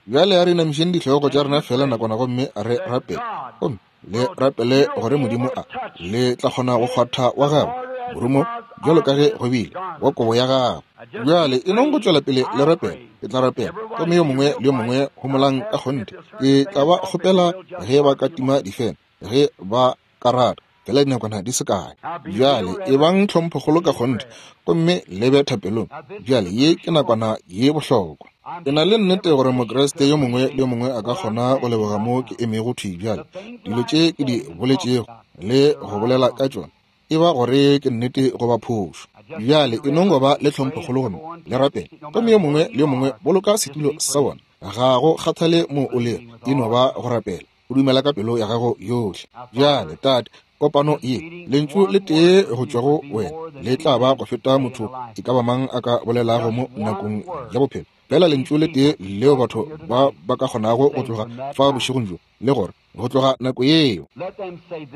Speaker 1: Bjale a re inamišeng dihlogo tša rena feela nakwana gomme re rapele. Gomme le rapele gore Modimo a le tla kgona go kgwatha wa gagwe morumo bjalo ka ge go bile wa kobo ya gagwe. Bjale e nong go tšwela pele le rapele. Ke tla rapela. Gomme yo mongwe le yo mongwe homolang ka kgonthe. Ke tla ba kgopela ge ba ka tima difene ge ba ka rata, fela dinakwana di se kae. Bjale ebang tlhomphokgolo ka kgonthe gomme le be thapelong. Bjale ye ke nakwana ye bohlokwa. Ke na le nnete gore Mokriste yo mongwe le yo mongwe a ka kgona go leboga mo ke emego thwi bjale. Dilo tše ke di boletšego le go bolela ka tšona, e ba gore ke nnete goba phošo. Bjale e nong go ba le tlhomphokgolo gomme le rapele. Gomme yo mongwe le yo mongwe boloka setulo sa bona. Ga go kgathale mo o lego, e no ba go rapela. O dumela ka pelo ya gago yohle. Bjale, Tate, kopano ye, lentšu le tee go tšwa go wena le tla ba go feta motho e ka ba mang a ka bolelago mo nakong ya bophelo. Fela lentšu le tee leo batho ba ba ka kgonago go tloga fa bošegong bjo, le gore go tloga nako yeo,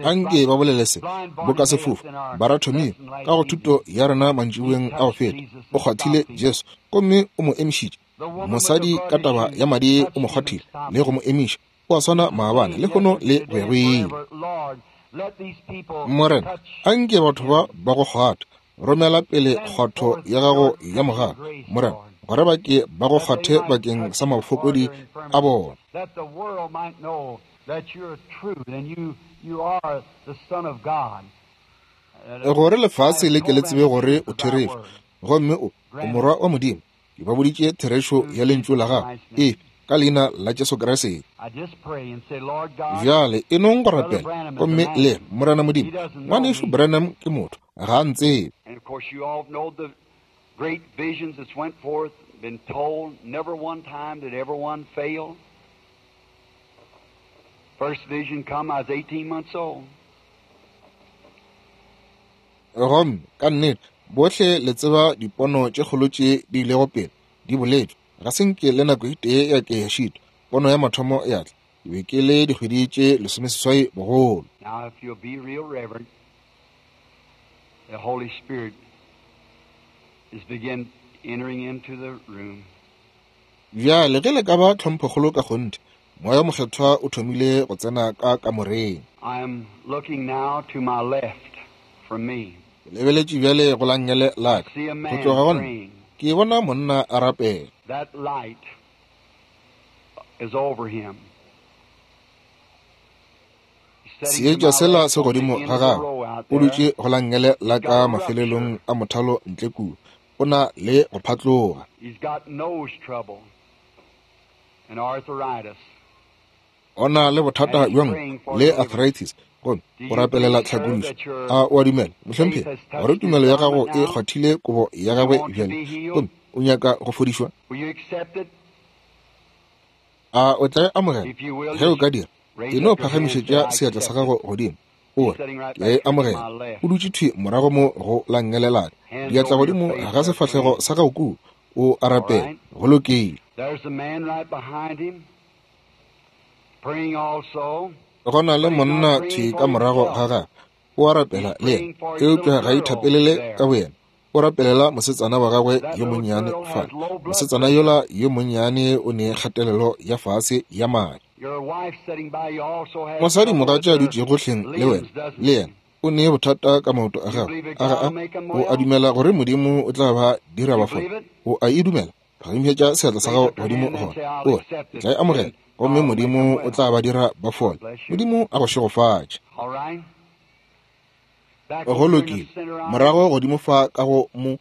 Speaker 1: anke ba bolele se, boka sefofu Baratomio ka go thuto ya rena mantšiboeng a go feta, o kgwathile Jesu gomme o mo emišitše. Mosadi ka taba ya madi o mo kgwathile le go mo emiša. O a swana maabane, lehono le go ya go ile. Morena, anke batho ba ba go kgwatha. Romela pele kgwatho ya gago ya mogala, Morena, gore ba ke ba go kgwathe bakeng sa mafokodi a bona. Gore lefase le ke le tsebe gore o therešo, gomme o morwa wa Modimo. Ke ba boditše therešo ya lentšu la gago, e ka leina la Jesu Kriste. Bjale e nong go rapela, gomme le Morena Modimo, Ngwanešu Branham ke motho, ga a ntsebe.
Speaker 2: And of course you all know the great visions that's went forth, been told, never one time did ever one fail. First vision come, I was 18 months old.
Speaker 1: Gomme ka nnete bohle le tseba dipono tše kgolo tše di ilego pele di boletšwe. Ga se nke le nako e tee ya ke ya šitwa. Pono ya mathomo ya tla, ke be ke le dikgwedi tše 18 bogolo.
Speaker 2: Now, if you'll be real reverent, the Holy Spirit is begin entering into the room.
Speaker 1: Bjale ge le ka ba tlhomphokgolo ka kgonthe, Moya wo Mokgethwa o thomile go tsena ka kamoreng.
Speaker 2: I am looking now to my left from me.
Speaker 1: Ke lebeletše bjale go la nngele la ka, go tloga go nna, ke bona monna a rapela.
Speaker 2: That light is over him.
Speaker 1: Seetša sela se godimo ga gagwe, o dutše go la nngele la ka mafelelong a mothalo ntle kua, o na le go phatloga.
Speaker 2: He's got nose trouble and arthritis.
Speaker 1: O na le bothata bja nko le arthritis, gomme o rapelela tlhakodišo. A o a dumela, mohlomphegi, gore tumelo ya gago e kgwathile kobo ya gagwe bjale, gomme o nyaka go fodišwa? A o tla e amogela? Ge o ka dira, e no phagamišetša seatla sa gago godimo, o re, Ke a e amogela. O dutše thwi morago mo go la nngele la ka, diatla godimo ga sefahlego sa gago kua, o a rapela. Go lokile. Go na le monna thwi ka morago ga gagwe, o a rapela le yena, eupša ga ithapelele ka boyena. O rapelela mosetsana wa gagwe yo monnyane fale. Mosetsana yola yo monnyane o ne kgatelelo ya fase ya madi. Mosadimogatša a dutšego hleng le wena, le yena o ne bothata ka maoto a gagwe. A ga a? O a dumela gore Modimo o tla ba dira ba fole? O a e dumela? Phagamišetša seatla sa gago godimo gona, o re, Ke tla e amogela, gomme Modimo o tla ba dira ba fole. Modimo a go šegofatše. Go lokile, morago godimo fa ka go mo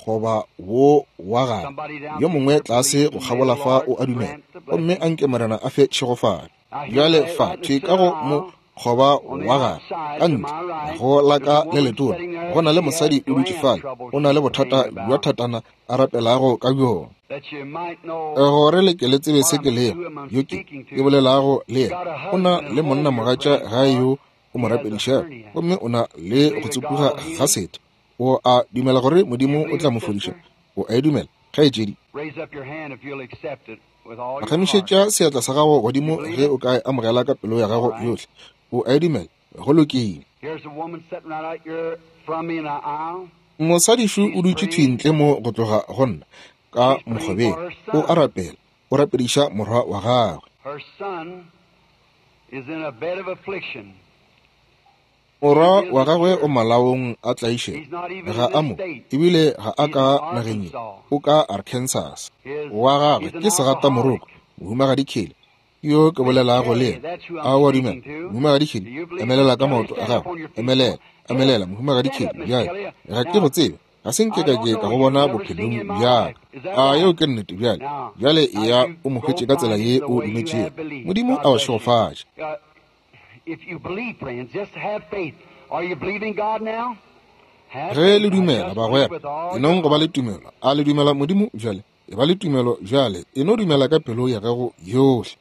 Speaker 1: goba wo wa gare, yo mongwe tlase go kgabola fa o a dumela, gomme a nke Morena a fe tšhegofatšo. Bjale fa thwi ka go mo goba wa gare, ka ntle go la ka le letona, go na le mosadi o dutše fale, o na le bothata bja thatana a rapelago ka bjona. Gore le ke le tsebe se ke lego, yo ke bolelago le yena, o na le monnamogatša gae yo o mo rapedišago, gomme o na le go tsopuga ga setho. O a dumela gore Modimo o tla mo fodiša? O a e dumela, kgaetšedi? Phagamišetša seatla sa gago godimo ge o ka e amogela ka pelo ya gago yohle. O a e dumela? Go lokile. Mosadišu o dutše thwi ntle mo go tloga go nna, ka mokgobeng. O a rapela. O rapediša morwa wa gagwe. Morwa wa gagwe o malaong a tlaišego. Ga a mo, ebile ga a ka nageng ye. O ka Arkansas. Wa gagwe ke segatamoroko, Mohumagadi Kelly, yo ke bolelago le yena. A o a dumela, Mohumagadi Kelly? Emelela ka maoto a gago. Emelela, emelela, Mohumagadi Kelly. Bjale, ga ke go tsebe. Ga se nke ka ke ka go bona bophelong bja ka. A yeo ke nnete bjale? Bjale eya o mo hwetše ka tsela ye o dumetšego. Modimo a go šegofatše. Ge le dumela, bagwera, e nong go ba le tumelo. A le dumela Modimo bjale? E ba le tumelo bjale. E no dumela ka pelo ya gago yohle.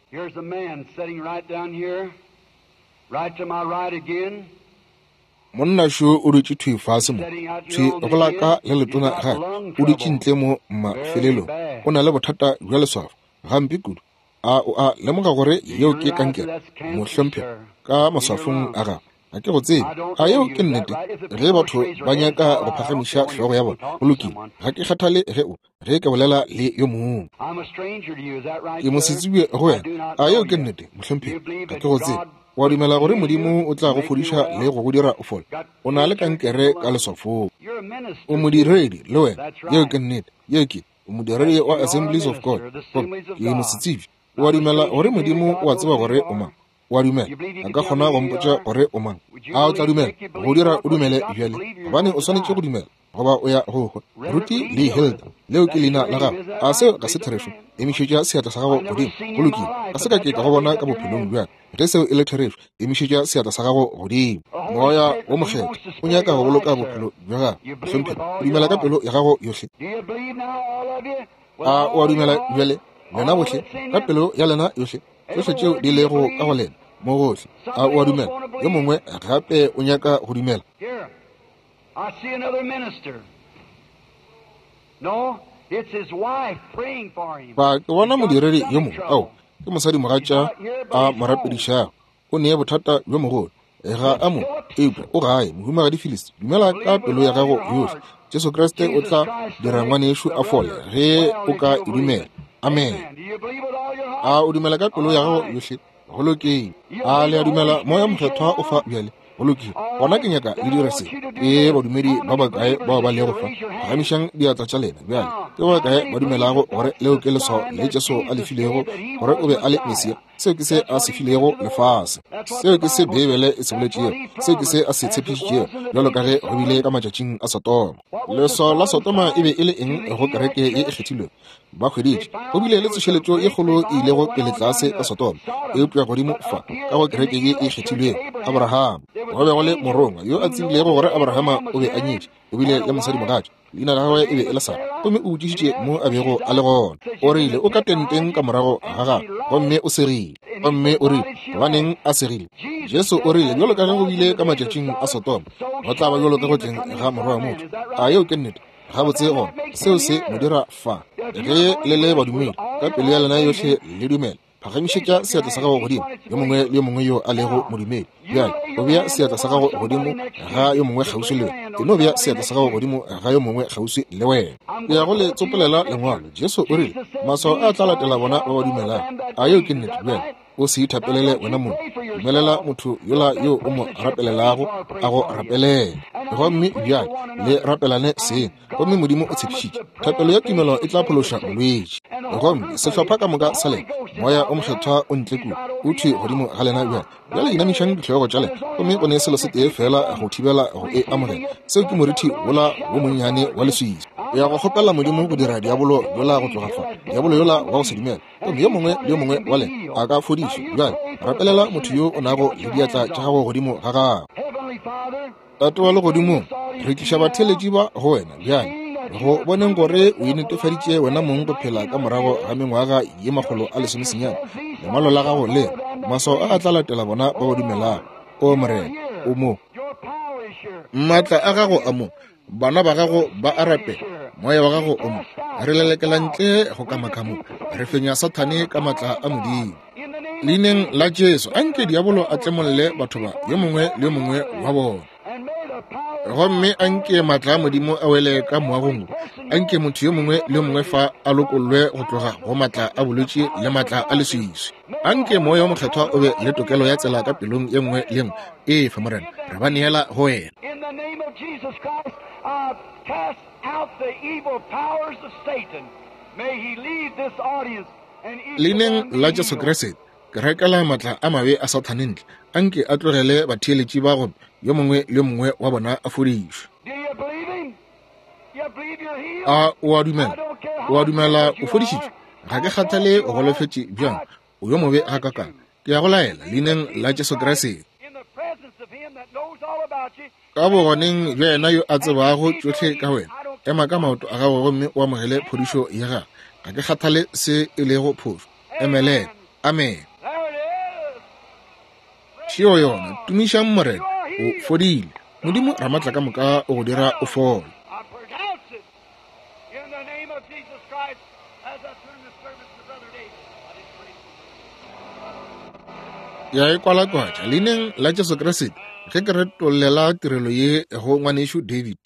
Speaker 1: Monna šo o dutše thwi fase mo, thwi go la ka le letona gape, o dutše ntle mo mafelelong. O na le bothata bja leswafo, gampe kudu. A o a lemoga gore yeo ke kankere, mohlomphegi, ka maswafong a gago? Ga ke go tsebe. A yeo ke nnete? Ge batho ba nyaka go phagamiša hlogo ya bona, go lokile. Ga ke kgathale ge o, ge ke bolela le yo mongwe. Ke mosetsebje go wena. A yeo ke nnete, mohlomphegi? Ga ke go tsebe. O a dumela gore Modimo o tla go fodiša le go go dira o fole? O na le kankere ka leswafong. O modiredi le wena. Yeo ke nnete. Yeo ke. O modiredi wa Assemblies of God. Gomme ke mosetsebje. O a dumela gore Modimo o a tseba gore o mang? O a dumela A ka kgona go mpotša gore o mang? A o tla dumela go dira o dumele bjale? Gobane o swanetše go dumela, goba o ya go hwa. Ruti le Hilda, leo ke leina la gago. A seo ga se therešo? Emišetša seatla sa gago godimo. Go lokile. Ga se ka ke ka go bona ka bophelong bja ka. Ge seo e le therešo, emišetša seatla sa gago godimo. Moya wo Mokgethwa o nyaka go boloka bophelo bja gago. Mohlomphegi, o dumela ka pelo ya gago yohle? A o a dumela bjale, lena bohle, ka pelo ya lena yohle, tšohle tšeo di lego ka go lena, mo gohle? A o a dumela? Yo mongwe gape o nyaka go dumela? Fa ke bona modiredi yo mongwe. Ao, ke mosadimogatša a mo rapedišago. O ne bothata bjo mogolo. Ga a mo, eupša o gae. Mohumagadi Phyllis, dumela ka pelo ya gago yohle. Jesu Kriste o tla dira ngwanešu a fole ge o ka e dumela. Amen. A o dumela ka pelo ya gago yohle? Go lokile. A le a dumela Moya Mokgethwa o fa bjale? Go lokile. Gona ke nyaka le dire se. Ke badumedi ba bakae bao ba lego fa? Phagamišang diatla tša lena bjale. Ke ba bakae ba dumelago gore leo ke leswao le Jesu a le filego gore o be a le Mesia? Seo ke se a se filego lefase. Seo ke se Beibele e se boletšego. Seo ke se a se tshepišitšego, bjalo ka ge go bile ka matšatšing a Sodoma. Leswao la Sodoma e be e le eng go kereke ye e kgethilwego? Ba hweditše go bile le tsošeletšo ye kgolo e ilego pele tlase ka Sodoma, eupša godimo fa ka go kereke ye e kgethilwego, Abraham, go be go le morongwa yo a tsebilego gore Abrahama o be a nyetše, o bile le mosadimogatša, leina la gagwe e be e le Sara, gomme o botšišitše mo a bego a le gona. O rile o ka tenteng ka morago ga gagwe, gomme o segile. Gomme o rile, gobaneng a segile? Jesu o rile, bjalo ka ge go bile ka matšatšing a Sodoma, go tla ba bjalo ka go tleng ga Morwa wa motho. A yeo ke nnete? Gabotse gona, seo se mo dira fa. Ge le le badumedi, ka pelo ya lena yohle le dumela, phagamišetša seatla sa gago godimo, yo mongwe le yo mongwe yo a lego modumedi. Bjale, o bea seatla sa gago godimo ga yo mongwe kgauswi le wena. E no bea seatla sa gago godimo ga yo mongwe kgauswi le wena. Ke ya go le tsopolela Lengwalo. Jesu o rile, Maswao a tla latela bona ba ba dumelago. A yeo ke nnete? Bjale, o se ithapelele wena mong. Dumelela motho yola yo o mo rapelelago a go rapelele. Gomme bjale le rapelane seng. Gomme Modimo o tshepišitše, thapelo ya tumelo e tla phološa molwetši. Gomme sehlopha ka moka sa lena, Moya o Mokgethwa o ntle kua, o thwi godimo ga lena bjale. Bjale inamišang dihlogo tša lena, gomme go ne selo se tee feela go thibela go e amogela, seo ke morithi wola wo monnyane wa leswiswi. O ya go kgopela Modimo go dira diabolo yola go tloga fa, diabolo yola wa go se dumele. Gomme yo mongwe le yo mongwe wa lena a ka fodišwa. Bjale rapelela motho yo o nago le diatla tša gago godimo ga gago. Tate wa Legodimong, re tliša batheeletši ba go Wena bjale, go boneng gore o inetefaditše Wena mong go phela ka morago ga mengwaga ye 190. Lengwalo la Gago le re, Maswao a a tla latela bona ba ba dumelago. O Morena, o mo. Maatla a gago a mo. Bana ba gago ba a rapela. Moya wa gago o mo. Re lelekela ntle go kamaka mo. Re fenya Sathane ka maatla a Modimo. Leineng la Jesu, anke diabolo a tlemolle batho ba, yo mongwe le yo mongwe wa bona. Gomme anke maatla a Modimo a wele ka moagong wo. Anke motho yo mongwe le yo mongwe fa a lokollwe go tloga go maatla a bolwetši le maatla a leswiswi. Anke Moya wo Mokgethwa o be le tokelo ya tsela ka pelong ye nngwe le ye nngwe. Efa, Morena, re ba neela go Wena.
Speaker 2: In the name of Jesus Christ, I cast out the evil powers of Satan. May he leave this audience and each of
Speaker 1: Leineng
Speaker 2: them be
Speaker 1: la Jesu
Speaker 2: healed.
Speaker 1: Kriste, ke rakela maatla a mabe a Sathane ntle. Anke a tlogele batheeletši ba gomme yo mongwe le yo mongwe wa bona a fodišwe.
Speaker 2: Do you believe him? You believe you're healed?
Speaker 1: A o a
Speaker 2: I
Speaker 1: dumela?
Speaker 2: don't care
Speaker 1: O a
Speaker 2: how
Speaker 1: dumela
Speaker 2: crippled
Speaker 1: o
Speaker 2: you
Speaker 1: fodišitšwe?
Speaker 2: are,
Speaker 1: Ga ke
Speaker 2: how
Speaker 1: kgathale
Speaker 2: deaf
Speaker 1: o
Speaker 2: you are,
Speaker 1: golofetše bjang,
Speaker 2: I
Speaker 1: o yo mobe
Speaker 2: charge
Speaker 1: gakakang.
Speaker 2: you
Speaker 1: Ke a go laela,
Speaker 2: in the name
Speaker 1: leineng
Speaker 2: of
Speaker 1: la
Speaker 2: Jesus
Speaker 1: Jesu
Speaker 2: Christ,
Speaker 1: Kriste.
Speaker 2: in the presence of him that knows all about you,
Speaker 1: Ka
Speaker 2: stand up
Speaker 1: bogoneng bja yena yo a
Speaker 2: and
Speaker 1: tsebago
Speaker 2: receive your
Speaker 1: tšohle ka
Speaker 2: healing.
Speaker 1: wena,
Speaker 2: I don't
Speaker 1: ema ka maoto a gago gomme o amogele
Speaker 2: stand up.
Speaker 1: phodišo ya gago. Ga ke kgathale se e lego phošo. Emelela.
Speaker 2: Amen.
Speaker 1: Amen.
Speaker 2: There it is. Praise
Speaker 1: Šeo yona.
Speaker 2: God.
Speaker 1: Tumišang
Speaker 2: You
Speaker 1: Morena.
Speaker 2: are
Speaker 1: O
Speaker 2: healed.
Speaker 1: fodile. Modimo
Speaker 2: God
Speaker 1: Ramatlakamoka
Speaker 2: Almighty.
Speaker 1: o go dira o
Speaker 2: Well,
Speaker 1: fole.
Speaker 2: I pronounce it in the name of Jesus Christ as I turn the service to Brother David. I didn't pray.
Speaker 1: Ya e kwalakwatša leineng la Jesu Kriste ge ke retollela tirelo ye go ngwanešu David.